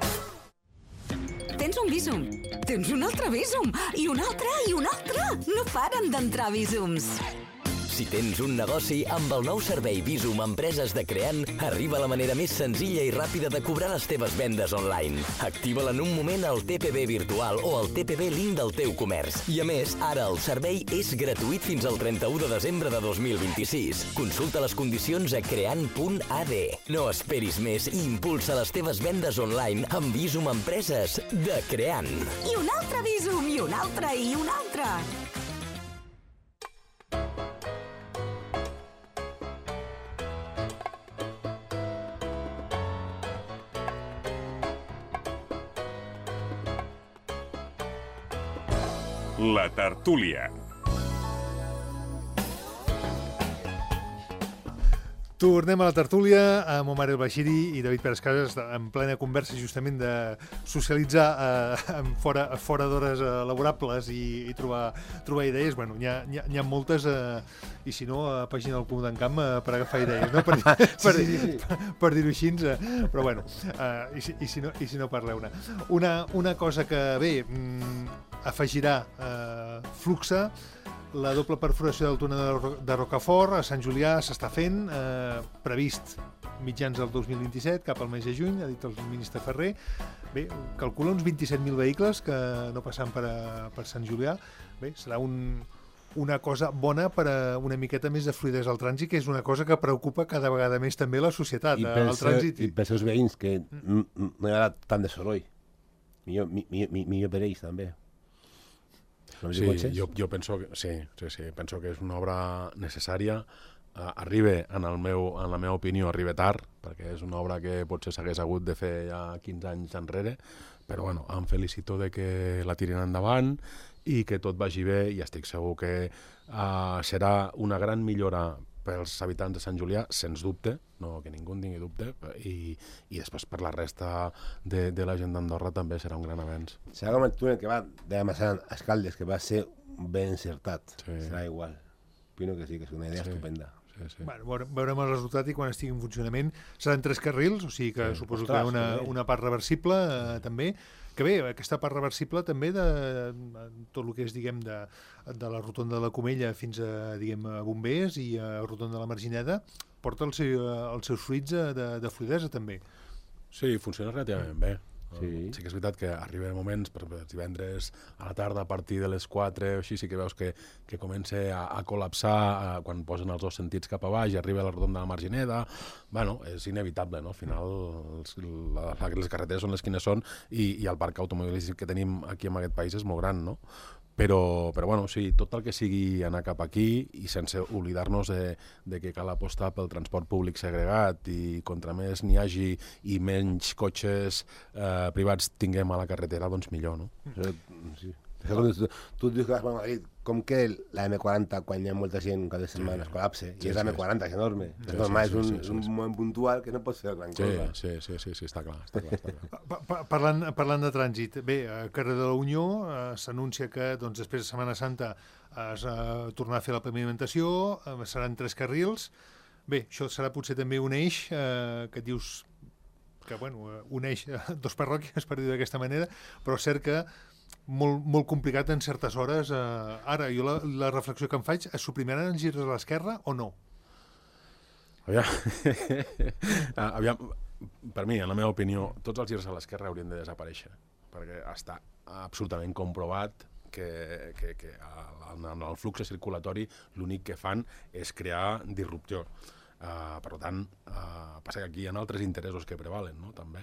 Tens un Bizum, tens un altre Bizum, i un altre, i un altre. No paren d'entrar Bizums. Si tens un negoci, amb el nou servei Bizum Empreses de Creant, arriba la manera més senzilla i ràpida de cobrar les teves vendes online. Activa-la en un moment al T P B virtual o al T P B link del teu comerç. I a més, ara el servei és gratuït fins al trenta-u de desembre de dos mil vint-i-sis. Consulta les condicions a creant punt a d. No esperis més i impulsa les teves vendes online amb Bizum Empreses de Creant. I un altre Bizum, i un altre, i un altre. La tertúlia. Tornem a la tertúlia amb Omar El Bashiri i David Pérez Casas en plena conversa justament de socialitzar eh, fora, fora d'hores eh, laborables i, i trobar, trobar idees. Bueno, n'hi ha, ha, ha moltes eh, i si no, a pàgina del Comú d'en Camp eh, per agafar idees, no? per, per, sí, sí, sí. per, per dir-ho així, eh, però bueno, eh, i, si, i, si no, i si no parleu-ne. Una, una cosa que, bé, mm, afegirà eh, fluxa. La doble perforació del túnel de Rocafort a Sant Julià s'està fent, eh, previst mitjans del dos mil vint-i-set, cap al mes de juny, ha dit el ministre Ferrer. Bé, calcula uns vint-i-set mil vehicles que no passaran per, a, per Sant Julià. Bé, serà un, una cosa bona per a una miqueta més de fluidesa al trànsit, que és una cosa que preocupa cada vegada més també la societat, I el trànsit. I pels seus veïns, que no hi ha tant de soroll. Millor, millor, millor per ells, també. Sí, jo, jo penso que, sí, sí, sí, penso que és una obra necessària. Uh, arriba, en, el meu, en la meva opinió, arriba tard, perquè és una obra que potser s'hagués hagut de fer ja quinze anys enrere, però bueno, em felicito de que la tirin endavant i que tot vagi bé, i estic segur que uh, serà una gran millora pels habitants de Sant Julià, sens dubte, no que ningú en tingui dubte, i, i després per la resta de, de la gent d'Andorra també serà un gran avenç. Serà com el túnel que va de Massana a Escaldes, que va ser ben encertat. Sí. Serà igual. Opino que sí, que és una idea sí. estupenda. Sí, sí. Bueno, veurem el resultat i quan estigui en funcionament seran tres carrils, o sigui que sí. suposo Ostres, que hi ha una, una part reversible eh, també, que bé, aquesta part reversible també de, de tot el que és, diguem, de, de la rotonda de la Comella fins a, diguem, a Bombers i a rotonda de la Margineda, porta el seu, els seus fruits de, de fluidesa també. Sí, funciona relativament bé. Sí. sí que és veritat que arriben moments, per exemple, divendres a la tarda a partir de les quatre o així, sí que veus que, que comença a, a col·lapsar a, quan posen els dos sentits cap a baix i arriba a la rotonda de la Margineda. Bueno, és inevitable, no? Al final els, la, les carreteres són les quines són i, i el parc automobilístic que tenim aquí en aquest país és molt gran, no? Però, però bueno, sí, tot el que sigui anar cap aquí i sense oblidar-nos de, de que cal apostar pel transport públic segregat i contra més n'hi hagi i menys cotxes eh, privats tinguem a la carretera, doncs millor, no? Sí. Tu, tu dius que vas a Madrid, com que la eme quaranta, quan hi ha molta gent cada setmana es col·lapse, sí, i és la eme quaranta, és enorme. Sí, és normal, sí, sí, és un, sí, sí, sí. un moment puntual que no pots fer gran cosa. Sí, sí, sí, sí, està clar. Està clar, està clar. Pa, pa, parlant, parlant de trànsit, bé, a carrer de la Unió eh, s'anuncia que doncs, després de Setmana Santa es eh, tornarà a fer la pavimentació, eh, seran tres carrils. Bé, això serà potser també un eix eh, que dius que bueno, uneix dos parròquies, per dir d'aquesta manera, però és cert que molt, molt complicat en certes hores. Eh, ara, jo la, la reflexió que em faig, es suprimiran els girs a l'esquerra o no? Aviam. Aviam, per mi, en la meva opinió, tots els girs a l'esquerra haurien de desaparèixer, perquè està absolutament comprovat que, que, que en el flux circulatori l'únic que fan és crear disrupció. Uh, per tant, uh, passa que aquí hi ha altres interessos que prevalen, no? També.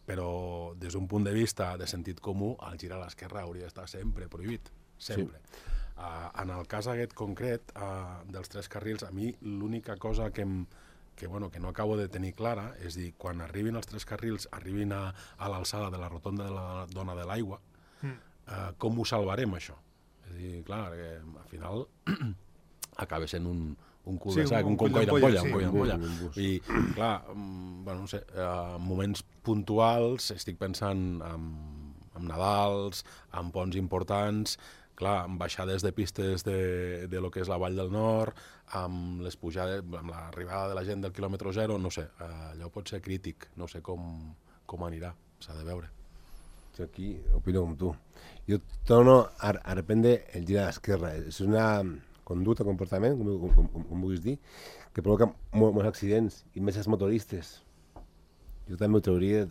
Però des d'un punt de vista de sentit comú, el gir a l'esquerra hauria d'estar sempre prohibit, sempre. Sí. Uh, en el cas aquest concret uh, dels tres carrils, a mi l'única cosa que em, que, bueno, que no acabo de tenir clara, és dir, quan arribin els tres carrils, arribin a, a l'alçada de la rotonda de la Dona de l'Aigua, mm. eh, com ho salvarem, això? És dir, clar, que al final acaba sent un, un cul de sac, sí, un, un coll d'ampolla, un coll d'ampolla. I, clar, bueno, no sé, en moments puntuals estic pensant en, en Nadals, en ponts importants, clar, amb baixades de pistes de, de lo que és la Vall del Nord, amb les pujades, amb l'arribada de la gent del quilòmetre zero, no sé, allò pot ser crític, no sé com, com anirà, s'ha de veure. Jo aquí opino com tu. Jo torno a, a reprendre el gir a l'esquerra. És una conducta, comportament, com, com, com, com vulguis dir, que provoca molts, molts accidents, i més els motoristes. Jo també ho trauria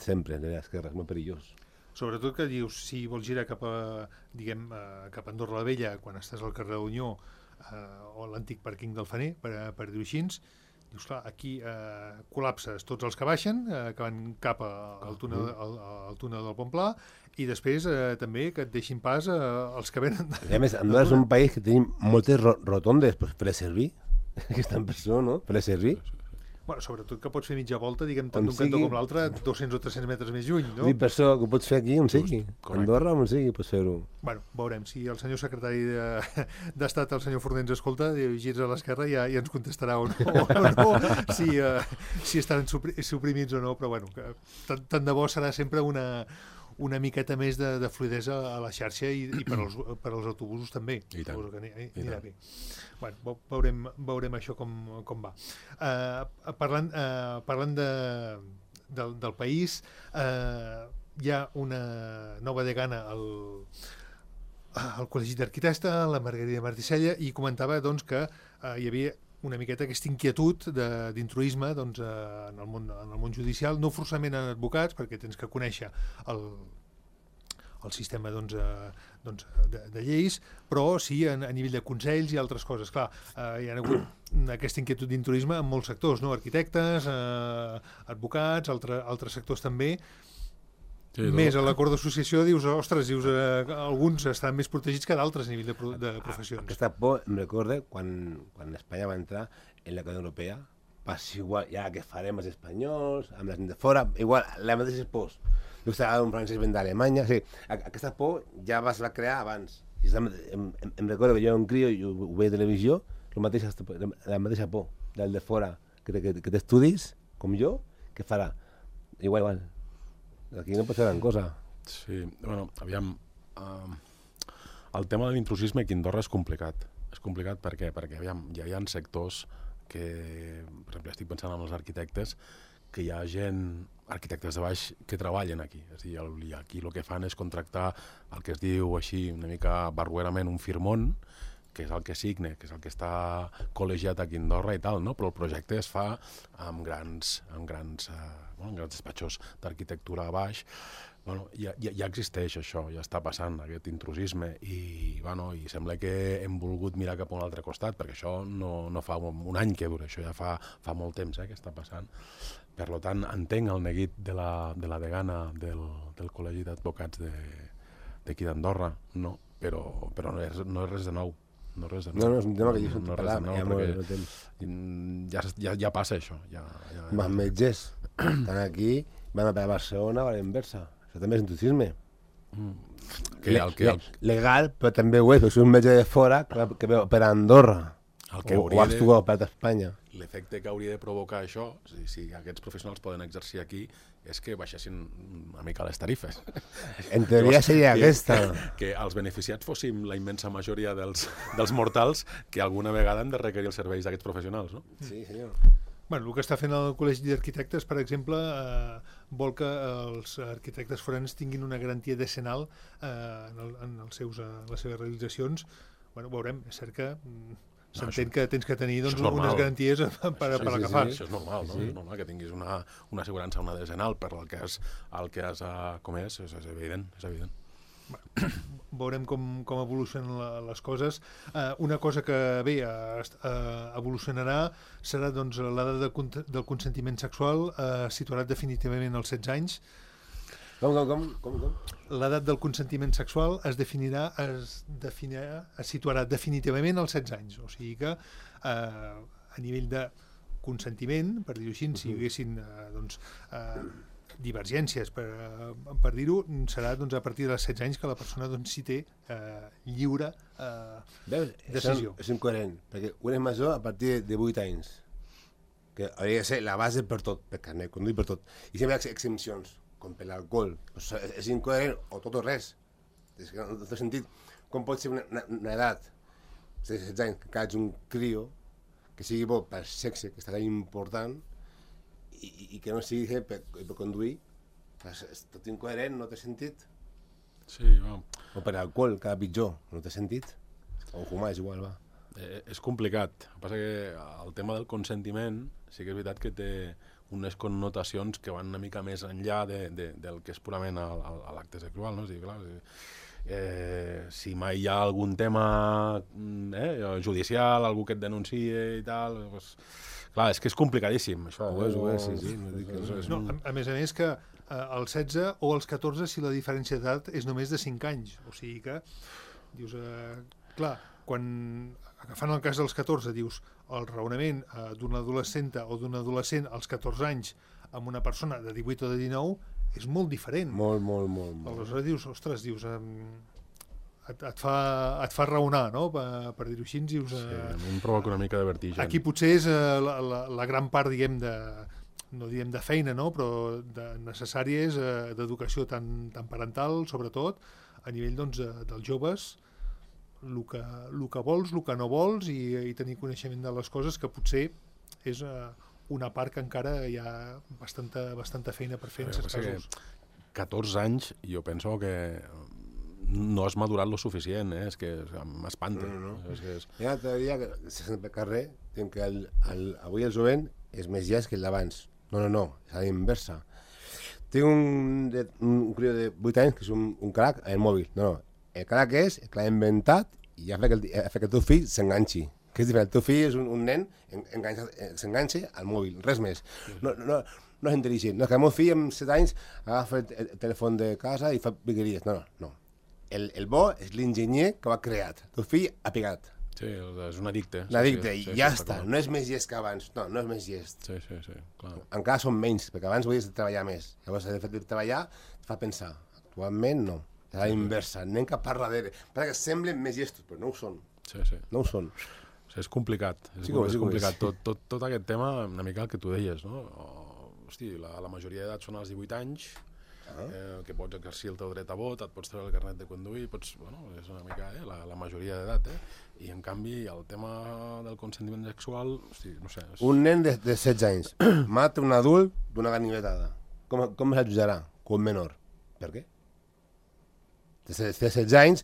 sempre, de l'esquerra, és molt perillós. Sobretot que dius, si vols girar cap a, diguem, cap a Andorra la Vella, quan estàs al carrer Unió, eh, o l'antic pàrquing del Fener, per, per dir-ho així, dius, clar, aquí eh, col·lapses tots els que baixen, eh, que van cap a, al, túnel, al, al túnel del Pont Pla, i després eh, també que et deixin pas eh, els que venen... I a més, Andorra és un país que tenim moltes ro rotondes per, per a servir, que estan per això, no? Per a servir. Bueno, sobretot que pots fer mitja volta, diguem, tant d'un cantó com l'altre, dos-cents o tres-cents metres més lluny, no? I per això que ho pots fer aquí, on sigui. Andorra, on sigui, pots fer-ho. Bueno, veurem. Si el senyor secretari d'Estat, el senyor Forner, ens escolta, girs a l'esquerra i ja, ja ens contestarà o no, o no si, uh, si estan suprimits o no, però bueno, que tant, tant de bo serà sempre una... una miqueta més de, de fluidesa a la xarxa i, i per, als, per als autobusos també. I tant. Que anirà, anirà bé. Bueno, veurem, veurem això com, com va. Uh, parlant uh, parlant de, del, del país, uh, hi ha una nova degana al, al Col·legi d'Arquitectes, la Margarida Marticella, i comentava doncs, que uh, hi havia una miqueta aquesta inquietud d'intruisme doncs, en, el món, en el món judicial, no forçament en advocats, perquè tens que conèixer el, el sistema doncs, eh, doncs, de, de lleis, però sí a, a nivell de consells i altres coses. Clar, eh, hi ha hagut aquesta inquietud d'intruisme en molts sectors, no? Arquitectes, eh, advocats, altre, altres sectors també. Sí, més a l'acord d'associació dius, ostres, dius, eh, alguns estan més protegits que d'altres a nivell de, pro, de professions. Aquesta por em recorda quan, quan Espanya va entrar en la Unió Europea, passa igual, ja que farem els espanyols, amb la gent de fora, igual, la mateixa por. Jo estava un francès ben d'Alemanya, o sigui, aquesta por ja es va crear abans. I em, em, em recordo que jo era un crio i ho, ho veia a televisió, la mateixa, la mateixa por del de fora, que, que, que t'estudis, com jo, que farà. Igual, igual. Aquí no pot ser gran cosa. Sí, bueno, aviam, uh, el tema de l'intrusisme aquí a Andorra és complicat. És complicat per què? Perquè aviam, ja hi ha sectors que, per exemple, estic pensant en els arquitectes, que hi ha gent, arquitectes de baix, que treballen aquí. És a dir, aquí el que fan és contractar el que es diu així una mica barruerament un firmón, que és el que signe, que és el que està col·legiat aquí a Andorra i tal, no? Però el projecte es fa amb grans, amb grans, eh, bueno, amb grans despatxos d'arquitectura a baix. Bueno, ja, ja, ja existeix això, ja està passant aquest intrusisme i, bueno, i sembla que hem volgut mirar cap a un altre costat, perquè això no, no fa un, un any que dura, això ja fa, fa molt temps eh, que està passant. Per tant, entenc el neguit de la, de la degana del, del Col·legi d'Advocats d'aquí d'Andorra, no? Però, però no, és, no és res de nou. No, res de nou. No, no, és un tema que jo no, no parlar, nou, ja, perquè ja, ja, ja passa això. Ja, ja, ja. Els metges estan aquí, van a Barcelona o a la inversa. Això també és intrusisme. Mm. Que, el que, el... Legal, però també ho és, perquè és un metge de fora que veu per Andorra. El que o, o actua per Espanya. L'efecte que hauria de provocar això, si, si aquests professionals poden exercir aquí, és que baixessin una mica les tarifes. En teoria seria que, aquesta. Que, que els beneficiats fóssim la immensa majoria dels, dels mortals que alguna vegada han de requerir els serveis d'aquests professionals, no? Sí, senyor. Bueno, el que està fent el Col·legi d'Arquitectes, per exemple, eh, vol que els arquitectes forans tinguin una garantia decenal eh, en, el, en els seus, eh, les seves realitzacions. Bueno, veurem, és cert que s'entén no, que tens que tenir doncs, unes garanties per, per, sí, per sí, agafar. Sí, això és normal, no? Sí. És normal que tinguis una, una assegurança, una decenal per el que has, el que has uh, comès, és, és evident, és evident. Bueno, veurem com, com evolucionen la, les coses. Uh, una cosa que bé uh, uh, evolucionarà serà doncs, l'edat de, del consentiment sexual, uh, situarà definitivament als setze anys. Com, com, com? com, com? L'edat del consentiment sexual es definirà, es definirà, es situarà definitivament als setze anys. O sigui que eh, a nivell de consentiment, per dir-ho així, si hi haguessin eh, doncs, eh, divergències, per, per dir-ho, serà doncs, a partir dels setze anys que la persona doncs, sí té eh, lliure eh, Veus? decisió. És incoherent, perquè un és major a partir de vuit anys, que hauria de ser la base per tot, per carnet, conduir per tot. I sempre hi ha exempcions, com per l'alcohol. Pues és incoherent, o tot o res. És que no, no té sentit. Com pot ser una, una, una edat de setze anys que caig un crio que sigui bo per sexe, que està tan important, i, i que no sigui per, per conduir? Pues és tot incoherent, no té sentit. Sí, va. O per alcohol, cada pitjor, no té sentit. O fumar és igual, va. Eh, és complicat. El que passa que el tema del consentiment sí que és veritat que té unes connotacions que van una mica més enllà de, de, del que és purament l'acte sexual, no? O sigui, clar, eh, si mai hi ha algun tema eh, judicial, algú que et denuncie i tal, doncs, clar, és que és complicadíssim, això. Ho és, ho és, sí, sí. No, dic que és, és No, un... a, a més a més que eh, als setze o als catorze si la diferència d'edat és només de cinc anys, o sigui que dius, eh, clar, quan agafant el cas dels catorze dius el raonament eh, d'una adolescenta o d'un adolescent als catorze anys amb una persona de divuit o de dinou és molt diferent. Molt, molt, molt. molt. Aleshores dius, ostres, dius, eh, et, et, fa, et fa raonar, no?, per, per dir-ho així. Dius, eh, Sí, a mi em provoca una mica de vertigen. aquí potser és eh, la, la, la gran part, diguem, de, no diem de feina, no?, però de necessària és eh, d'educació tant, tant parental, sobretot, a nivell doncs, de, dels joves, el que, el que vols, el que no vols i, i tenir coneixement de les coses, que potser és eh, una part que encara hi ha bastanta, bastanta feina per fer en certs casos. catorze anys, jo penso que no has madurat lo suficient, eh? És que m'espanta. No, no, no. És que és... Hi ha una teoria que se sent pel carrer, diuen que el, el, avui el jovent és més llest que el d'abans. No, no, no, és a la inversa. Tinc un, de, un crió de vuit anys que és un, un crac en el mòbil. No, no, el crac és el que l'ha inventat i ha fet que el, ha fet que el teu fill s'enganxi. Que és diferent, el teu fill és un, un nen s'enganxa al mòbil, res més. No, no, no és intel·ligent. No, que el meu fill amb set anys agafa el, el telèfon de casa i fa piqueries. No, no, no. El, el bo és l'enginyer que ho ha creat. El teu fill ha picat. Sí, és un addicte. Un addicte, sí, sí, i ja sí, està. No és més llest que abans. No, no és més llest. Sí, sí, sí, clar. Encara són menys, perquè abans volies treballar més. Llavors, el fet de treballar et fa pensar. Actualment, no. És a la inversa. Anem cap a darrere. Perquè semblen més llestos, però no ho són. Sí, sí. No ho són. O sigui, és complicat. És, Sí molt, que ho és, és sí que ho complicat. és. Tot, tot, tot aquest tema, una mica el que tu deies, no? O, hosti, la, la majoria d'edat són als divuit anys, ah. eh, que pots exercir el teu dret a vot, et pots treure el carnet de conduir, pots, bueno, és una mica eh, la, la majoria d'edat, eh? I en canvi el tema del consentiment sexual, hosti, no sé... És... Un nen de, de setze anys mata un adult d'una ganivetada. Com, com es jutjarà? Com un menor. Per què? De setze anys,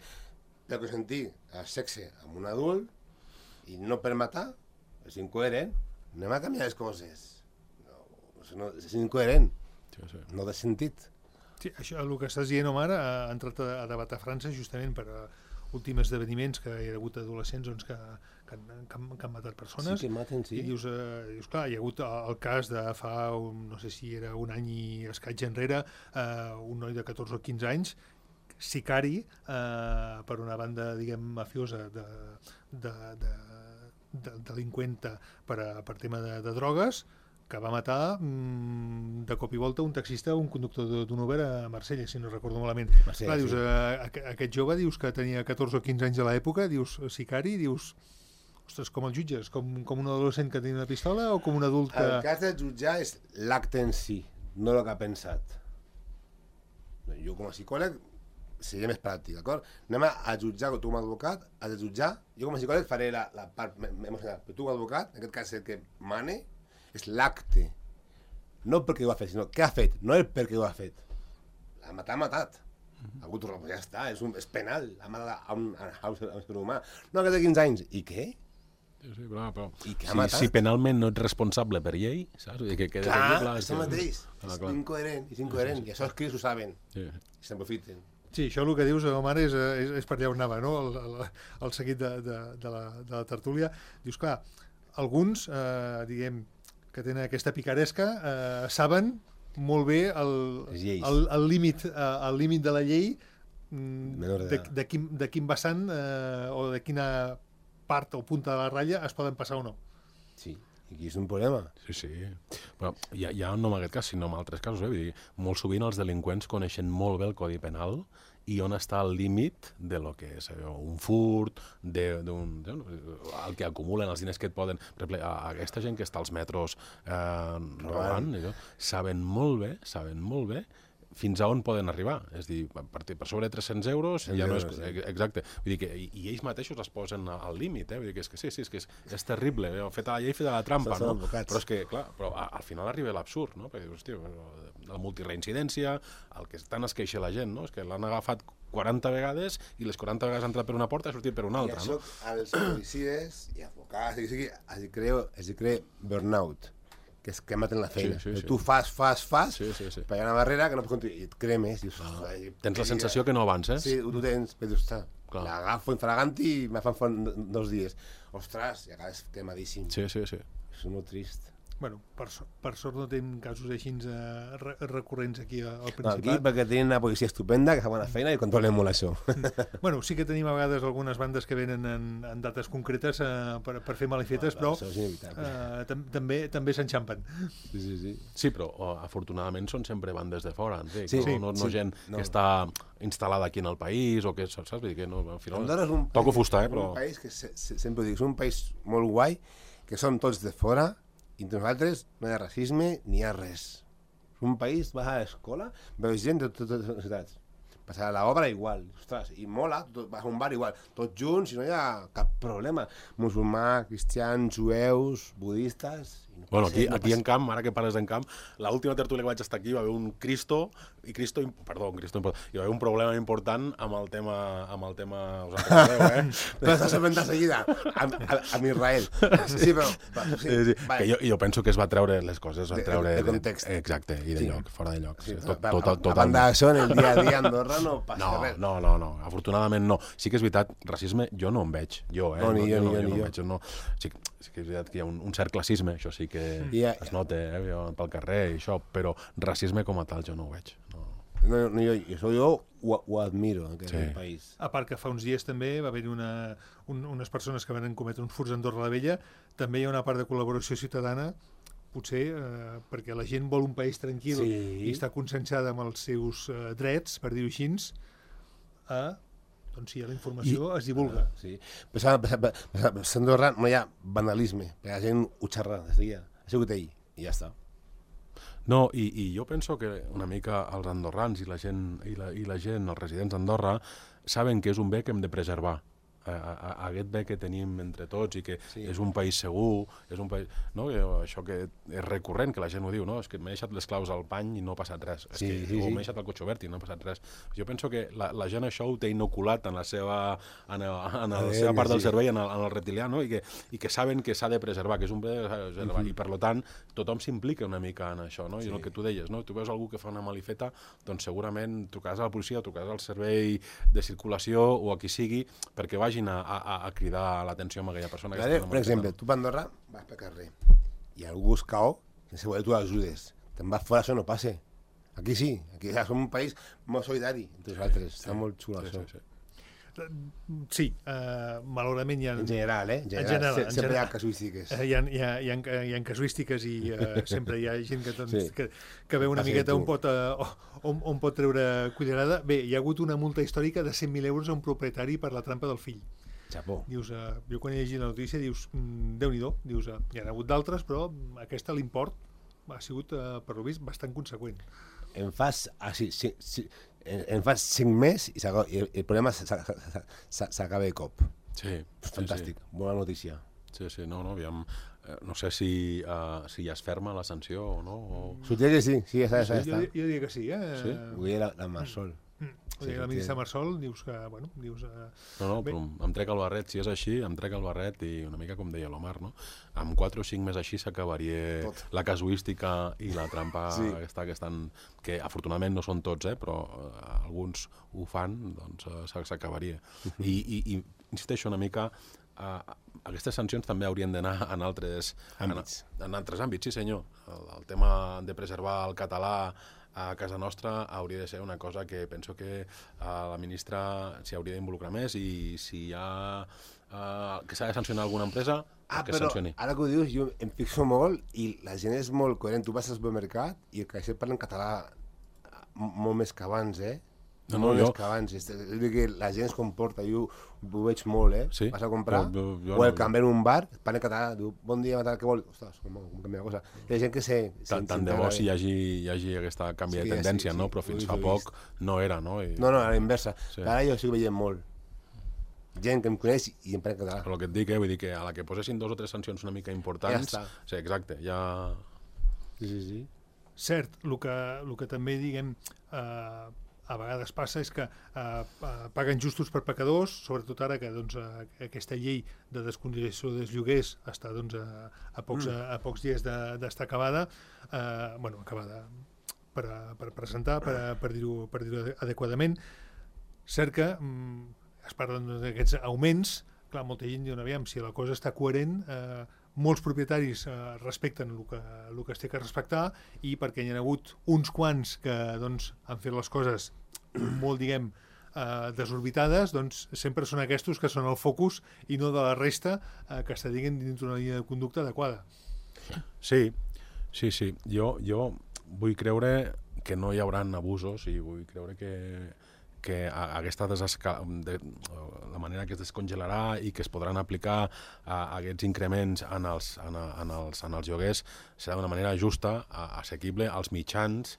per consentir el sexe amb un adult i no per matar, és incoherent. Anem a canviar les coses. No, no, és incoherent. Sí, sí. No té sentit. Sí, això, el que estàs dient, Omar, ha entrat a, a debat a França justament per uh, últims esdeveniments que hi ha hagut adolescents doncs, que, que, han, que, han, que han matat persones. Sí que maten, sí. I dius, uh, dius, clar, hi ha hagut el cas de fa, un, no sé si era un any i escaig enrere, uh, un noi de catorze o quinze anys, sicari uh, per una banda, diguem, mafiosa de, de, de, de delinqüenta per, a, per tema de, de drogues, que va matar mmm, de cop i volta un taxista o un conductor d'un Uber a Marsella, si no recordo malament. Marsella, Clar, dius, sí. eh, aquest jove dius que tenia catorze o quinze anys a l'època, dius sicari, dius, ostres, com el jutges? Com, com un adolescent que tenia una pistola o com un adult que... El cas de jutjar és l'acte en si, no el que ha pensat. Jo com a psicòleg seria més pràctic, d'acord? Anem a jutjar, tu com a advocat, has de jutjar, jo com a psicòleg faré la, la part emocional, però tu com a advocat, en aquest cas el que mane, és l'acte. No perquè ho ha fet, sinó què ha fet, no el perquè ho ha fet. L'ha matat, ha matat. Ha hagut un ja està, és, un, és penal, ha matat a un, a un, a un ésser humà. No, aquest de quinze anys, i què? Sí, sí, clar, però I què ha si, matat? si penalment no ets responsable per llei, saps? Vull dir que queda Clar, aquí, clar, és el mateix, clar, és clar. incoherent, és incoherent, i això els cris ho saben, Sí. i s'aprofiten. Sí, això el que dius, Omar, és, és, és per allà on anava, no? El, el, el seguit de, de, de, la, de la tertúlia. Dius, clar, alguns, eh, diguem, que tenen aquesta picaresca, eh, saben molt bé el, Les lleis. el, el, límit, eh, el límit de la llei, mm, Menor de, d'edat. de, quin, de quin vessant eh, o de quina part o punta de la ratlla es poden passar o no. Sí. I aquí és un problema. Sí, sí. Però ja, ja no en aquest cas, sinó en altres casos. Eh? Vull dir, molt sovint els delinqüents coneixen molt bé el Codi Penal i on està el límit de lo que és allò, un furt, de, d'un, de, el que acumulen, els diners que et poden... Per exemple, aquesta gent que està als metros eh, robant, allò, saben molt bé, saben molt bé fins a on poden arribar. És dir, per, per sobre de tres-cents euros ja no és... Exacte. Vull dir que, i, i ells mateixos es posen al límit, eh? Vull dir que és que sí, sí, és que és, és terrible. Eh? Feta la llei, feta la trampa, no? Però és que, clar, però al final arriba l'absurd, no? Perquè dius, hòstia, la multireincidència, el que tant es queixa la gent, no? És que l'han agafat quaranta vegades i les quaranta vegades ha entrat per una porta i ha sortit per una altra, no? I això, els policies i advocats, es crea, es crea burnout, que és que maten la feina. Sí, sí, sí. Tu fas, fas, fas, sí, sí, sí. però hi ha una barrera que no pots continuar, i et cremes. Dius, ah, tens la sensació que no avances. Sí, tu tens, però dius, l'agafo infraganti i me fan font dos dies. Ostres, i acabes cremadíssim. Sí, sí, sí. És molt trist. Bueno, per, per sort no tenim casos així eh, recurrents aquí al Principat. No, aquí perquè tenim una policia estupenda que fa bona feina i controlem molt això. Bueno, sí que tenim a vegades algunes bandes que venen en, en dates concretes eh, per, per fer malifetes, però eh, tam també també s'enxampen. Sí, sí, sí. Sí, però oh, afortunadament són sempre bandes de fora, entenc, sí, no, sí, no, no sí, gent no. que està instal·lada aquí en el país o que, saps? Vull dir que no, al final un toco país, fusta, eh, però... un país que se, se, sempre ho dic, és un país molt guai, que som tots de fora, i entre nosaltres no hi ha racisme ni hi ha res. És un país, vas a l'escola, veus gent de totes les ciutats. Passar a l'obra igual, ostres, i mola, tot, vas a un bar igual, tots junts i no hi ha cap problema. Musulmà, cristians, jueus, budistes... No bueno, aquí, no aquí en camp, ara que parles en camp, l'última tertúlia que vaig estar aquí va haver un Cristo, i Cristo, perdó, un Cristo, hi va haver un problema important amb el tema, amb el tema, us en recordeu, eh? Però estàs sorprent de seguida, amb, amb Israel. Sí, però... però sí, sí, sí. Que jo, jo penso que es va treure les coses, es va treure... De, de context. De, exacte, i de sí. lloc, fora de lloc. Sí, tot, a, tot, tot, a banda d'això, en el dia a dia a Andorra no passa no, res. No, no, no, afortunadament no. Sí que és veritat, racisme jo no en veig, jo, eh? No, ni jo, no, ni jo, jo, ni no jo. Veig, no. Sí, sí que és veritat que hi ha un, un cert classisme, això sí que yeah. es nota, eh? Pel carrer i això, però racisme com a tal jo no ho veig. No. No, no, jo, això jo ho, ho admiro, en aquest sí. país. A part que fa uns dies també va haver-hi una, un, unes persones que van cometre uns furts a Andorra la Vella, també hi ha una part de col·laboració ciutadana, potser eh, perquè la gent vol un país tranquil sí. i està conscienciada amb els seus eh, drets, per dir-ho així, a, doncs sí, la informació I, es divulga. Uh, sí. Però a Andorra no hi ha vandalisme, perquè la gent ho xerra des dia. Ha sigut ell, i ja està. No, i, i jo penso que una mica els andorrans i la gent, i la, i la gent, els residents d'Andorra, saben que és un bé que hem de preservar. A, a, a aquest bé que tenim entre tots i que sí. és un país segur, és un país... No? Això que és recurrent, que la gent ho diu, no? És que m'he deixat les claus al pany i no ha passat res. Sí, és que, sí, o m'he deixat el cotxe obert i no ha passat res. Jo penso que la, la gent això ho té inoculat en la seva, en el, en la seva part del cervell, en el, en el reptilià, no? I, que, i que saben que s'ha de preservar, que és un bé de preservar. Uh-huh. I per tant, tothom s'implica una mica en això, no? I sí. el que tu deies, no? Tu veus algú que fa una malifeta, doncs segurament trucaràs a la policia, trucaràs al servei de circulació o a qui sigui, perquè vagin a, a, a cridar l'atenció amb aquella persona. Vale, per exemple, tu per Andorra vas pel carrer i algú es cau, sense voler tu l'ajudes. Te'n vas fora, això no passa. Aquí sí, aquí ja som un país molt solidari entre nosaltres, sí, està molt xulo sí, això. Sí, sí. Sí, uh, malauradament hi ha... En general, eh? En general, en general, en sempre general, hi ha casuístiques. Hi ha, hi, ha, hi, ha, hi ha casuístiques i uh, sempre hi ha gent que, doncs, sí. que, que veu una miqueta on pot, uh, on, on pot treure cullerada. Bé, hi ha hagut una multa històrica de cent mil euros a un propietari per la trampa del fill. Xapó. Dius, uh, jo quan he llegit la notícia dius, mm, Déu-n'hi-do, dius, uh, hi ha hagut d'altres, però aquesta l'import ha sigut, uh, per lo vist, bastant conseqüent. En fas... Ah, sí, sí, sí. En, en fas cinc mesos i, i el, el problema s'acaba de cop. Sí. Fantàstic, sí, sí. Bona notícia. Sí, sí, no, no, aviam, eh, no sé si, uh, si ja es ferma la sanció o no. O... Sortia que sí, sí, ja està, ja està. Jo, jo diria que sí, eh? Sí? Ho deia la, la Marsol. Mm. Sí, la ministra Marsol dius que, bueno, dius... Uh... No, no, però em trec el barret, si és així, em trec el barret i una mica com deia l'Omar, no? Amb quatre o cinc més així s'acabaria la casuística i la trampa sí. aquesta que estan... que afortunadament no són tots, eh, però uh, alguns ho fan, doncs uh, s'acabaria. I, i, I insisteixo una mica, uh, aquestes sancions també haurien d'anar en altres àmbits. En, en altres àmbits, sí senyor. El, el tema de preservar el català a casa nostra hauria de ser una cosa que penso que uh, la ministra s'hi hauria d'involucrar més i si hi ha uh, que s'ha de sancionar alguna empresa, Ah, que però sancioni. ara que ho dius, jo em fixo molt i la gent és molt coherent. Tu vas al supermercat i el caixer parla en català molt més que abans, eh? No, no, molt jo- més que abans. És a dir, que la gent es comporta, jo ho veig molt, eh? Sí? Vas a comprar, Jo- jo- jo o el no. cambrer en un bar, parla en català, diu, bon dia, matar, què vol? Ostres, com, com canvia la cosa. Hi ha gent que sé... Tant, tant de bo si hi hagi, hi hagi aquesta canvi Sí, de tendència, sí, sí, no? Però ho fins he fa vist. poc no era, no? I, No, no, a la inversa. Sí. Sí. Ara jo estic veient molt. Gent que em coneix i em parla en català. Però el que et dic, eh? Vull dir que a la que posessin dos o tres sancions una mica importants... Ja està. Sí, exacte, ja... Sí, sí, sí. Cert, el que, el que també, diguem, eh, a vegades passa és que eh, eh, paguen justos per pecadors, sobretot ara que doncs, eh, aquesta llei de descongelació dels lloguers està doncs, a, a, pocs, a, a pocs dies de- d'estar acabada, eh, bueno, acabada per, a, per presentar, per, a, per dir-ho per dir-ho adequadament. Cert que mm, es parlen doncs, d'aquests augments, clar, molta gent diu, aviam, si la cosa està coherent, eh, molts propietaris eh, respecten el que, el que es té que respectar i perquè hi ha hagut uns quants que doncs, han fet les coses molt, diguem, eh, desorbitades, doncs sempre són aquests que són el focus i no de la resta eh, que està diguem dins d'una línia de conducta adequada. Sí, sí, sí. Jo, jo vull creure que no hi haurà abusos i vull creure que, que a- aquesta desesca... de, la manera que es descongelarà i que es podran aplicar a, a aquests increments en els, en, a- en, els, en els lloguers serà d'una manera justa, a, assequible als mitjans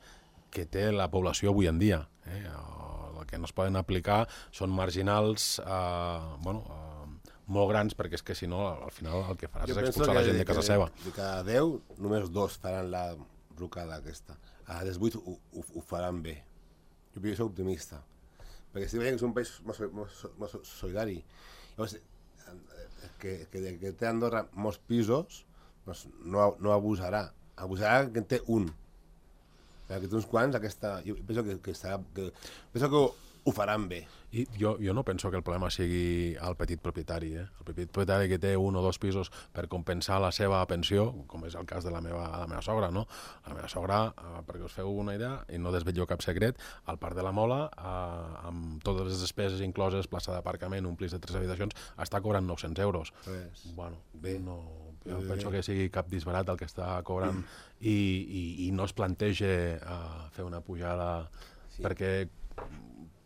que té la població avui en dia. Eh? El que no es poden aplicar són marginals eh, bueno, eh, molt grans, perquè és que si no, al final el que faràs Jo és penso expulsar la que gent de- de casa que seva. De cada deu, només dos faran la rucada aquesta. A les vuit ho, ho, ho faran bé. Jo soc optimista. Perquè estic veient que és un país molt, so- molt, so- molt so- solidari. Llavors, eh, que, que, que té a Andorra molts pisos, doncs no, no abusarà. Abusarà que en té un. Perquè té uns quants, aquesta... Jo penso que, que, estarà, que, penso que ho, ho faran bé. I jo, jo no penso que el problema sigui el petit propietari. Eh? El petit propietari que té un o dos pisos per compensar la seva pensió, com és el cas de la meva, la meva sogra, no? La meva sogra, eh, perquè us feu una idea, i no desvetllo cap secret, al Parc de la Mola, eh, amb totes les despeses incloses, plaça d'aparcament, un pis de tres habitacions, està cobrant nou-cents euros. Res. Bueno, Bé. no, jo Bé. penso que sigui cap disbarat el que està cobrant i, i, i no es plantege uh, fer una pujada Sí. perquè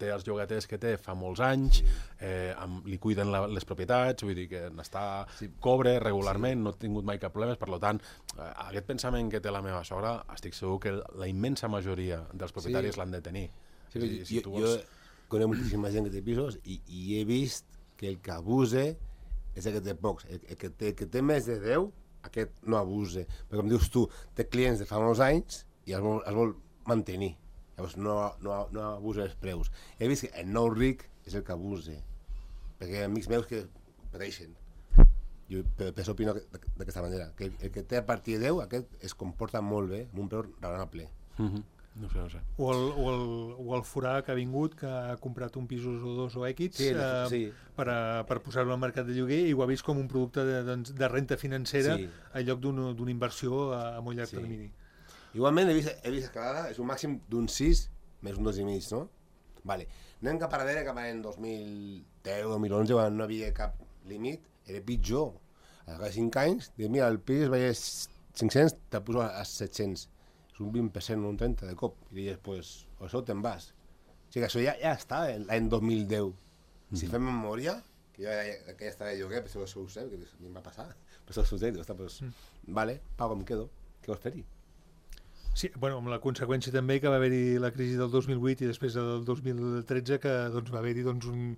té els llogaters que té fa molts anys, eh, amb, li cuiden la, les propietats, vull dir que n'està, Sí. cobre regularment, sí. No ha tingut mai cap problema, per tant, eh, aquest pensament que té la meva sogra, estic segur que la immensa majoria dels propietaris Sí. l'han de tenir. Sí, És a dir, jo, tu jo vols- conec moltíssima gent que té pisos i, i he vist que el que abuse és el que té pocs. El, el, que, té, el que té més de deu, aquest no abuse. Perquè com dius tu, té clients de fa molts anys i els vol, els vol mantenir. Llavors no, no, no abusa els preus. He vist que el nou ric és el que abuse. Perquè hi ha amics meus que pateixen. Jo per, per això opino d'aquesta manera. Que el, el que té a partir de deu, aquest es comporta molt bé, amb un preu raonable. Mhm. No sé, no sé. O el, o, el, o el forà que ha vingut, que ha comprat un pisos o dos o equits Sí, eh, sí. per, a, per posar-lo al mercat de lloguer i ho ha vist com un producte de, doncs, de renta financera Sí. en lloc d'un- d'una inversió a, a molt llarg Sí. termini. Igualment he vist, he vist escalada, és un màxim d'un sis més un dos i mig, no? Vale. Anem cap a darrere, cap a l'any dos mil deu, dos mil onze, quan no havia cap límit, era pitjor. A cada cinc anys, dic, mira, el pis valia cinc-cents, te poso a set-cents. És un vint per cent, un trenta de cop. I dius, pues, o això te'n vas. O sigui, això ja, ja està l'any dos mil deu. Si fem memòria, que jo ja, que ja estava de lloguer, per això ho sé, que a mi em va passar, per això ho sé, dic, pues, vale, pago, em quedo. Què vols fer-hi? Sí, bueno, amb la conseqüència també que va haver-hi la crisi del dos mil vuit i després del dos mil tretze que doncs, va haver-hi doncs, un,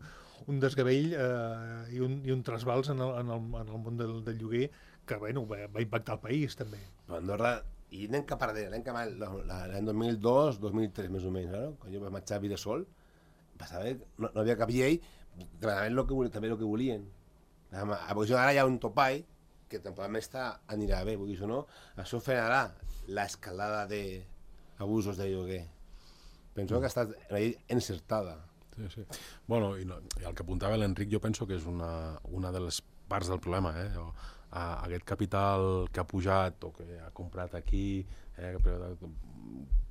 un desgavell eh, i, un, i un trasbals en el, en el, en el món del, del lloguer que bueno, va, va impactar el país també. Però Andorra, i anem cap a darrere, anem cap a l'any dos mil dos, dos mil tres més o menys, no? Quan jo vaig marxar a Videsol, passava, no, no havia cap llei, demanaven lo que volien, també el que volien. A posició ara hi ha un topall que temporalment està, anirà bé, vull dir, això no, això frenarà l'escalada d'abusos de lloguer. Penso que ha estat una llei encertada. Sí, sí. Bueno, i, no, i el que apuntava l'Enric jo penso que és una, una de les parts del problema. Eh? O, uh, aquest capital que ha pujat o que ha comprat aquí, eh,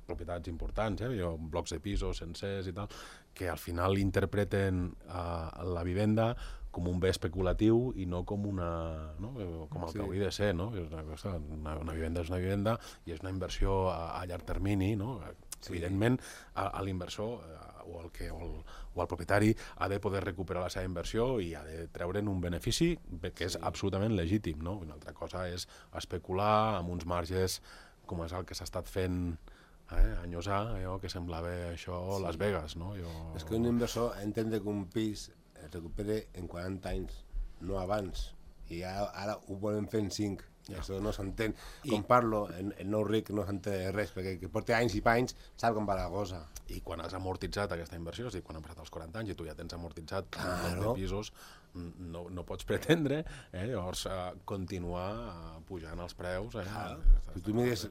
propietats importants, eh, blocs de pisos sencers i tal, que al final interpreten uh, la vivenda com un bé especulatiu i no com una, no? com el sí. que hauria de ser, no? Una, cosa, una, una vivenda és una vivenda i és una inversió a, a llarg termini, no? Sí. Evidentment, a, a l'inversor o el, que, o, el, o el propietari ha de poder recuperar la seva inversió i ha de treure'n un benefici que és sí. absolutament legítim, no? Una altra cosa és especular amb uns marges com és el que s'ha estat fent eh, anyos a, allò que semblava això sí. Las Vegas, no? Jo... És que un inversor entén que un pis es recupere en quaranta anys, no abans, i ara, ara ho volen fer en cinc. I això no s'entén. Com parlo, el, el nou ric no s'entén res, perquè que porta anys i panys sap com va la cosa. I quan has amortitzat aquesta inversió, és a dir, quan han passat els quaranta anys i tu ja tens amortitzat claro. pisos, no, no pots pretendre eh, llavors uh, continuar uh, pujant els preus. Eh, claro. Si tu mires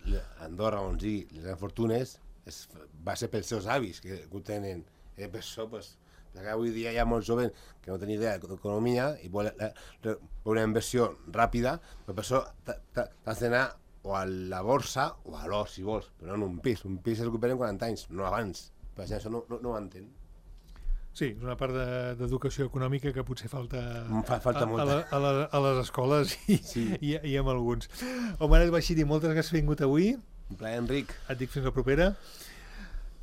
Andorra, on sigui, les grans fortunes, es, va ser pels seus avis que, que ho tenen. Eh, per això, pues, perquè avui dia hi ha molts joves que no tenen idea d'economia i volen una inversió ràpida, però per això t'has d'anar o a la borsa o a l'or, si vols, però no en un pis. Un pis es recupera en quaranta anys, no abans. Per això no, no, no ho entén. Sí, és una part d'educació de, econòmica que potser falta, Fa, falta a, a, la, a, la, a les escoles i, sí. i, i amb alguns. Omar Baixiri, moltes gràcies per haver vingut avui. Un plaer, Enric. Et dic fins la propera.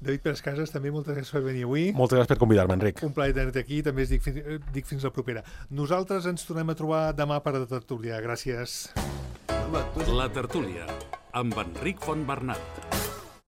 David Pérez Casas, també moltes gràcies per venir avui. Moltes gràcies per convidar-me, Enric. Un plaer tenir-te aquí, també es dic, dic fins la propera. Nosaltres ens tornem a trobar demà per la tertúlia. Gràcies. La tertúlia, amb Enric Fontbernat.